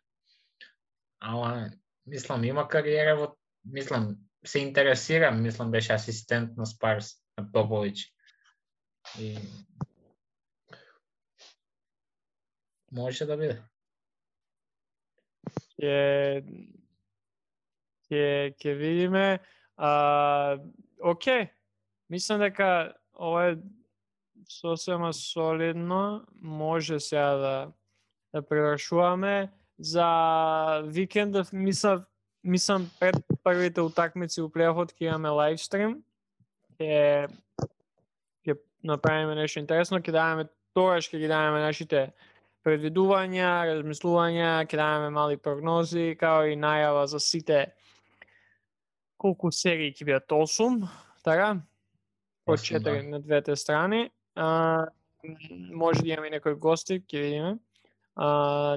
Ама мислам има кариера се интересирам, беше асистент на Спарс на Попович. И може да биде. Ќе видиме. Океј. Мислам дека ова е сосема солидно. Може сега да превршуваме. За викендов мислам пред првите утакмици у плейофот ќе имаме лайвстрим. Ќе направиме нешто интересно, ќе ги даваме нашите предвидувања, размислувања, ќе даваме мали прогнози, као и најава за сите колку серии ќе бидат 8, така? По 4 на двете страни. Може да имаме некои гости, ќе видиме.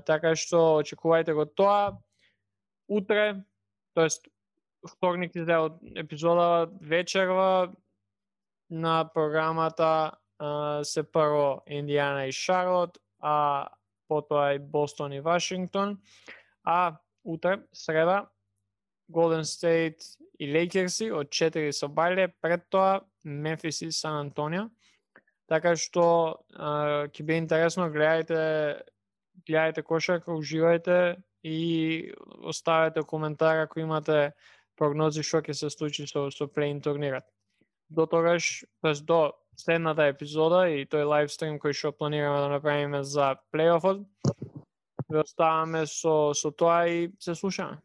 Така што очекувајте го тоа. Утре, тоест вторник излезе од епизодава вечерва на програмата се прво Индијана и Шарлот, а потоа и Бостон и Вашингтон. А утре, среда, Голден Стейт и Лейкерси од 4 со бајле, пред тоа Мемфис и Сан Антонио. Така што ќе биде интересно, гледајте кошарка, уживајте и оставете коментар ако имате прогнози што ќе се случи со плей-ин турнирот. До тогаш, до следната епизода и тој лайвстрим кој што планираме да направиме за плей-офот, ве оставаме со тоа и се слушаме.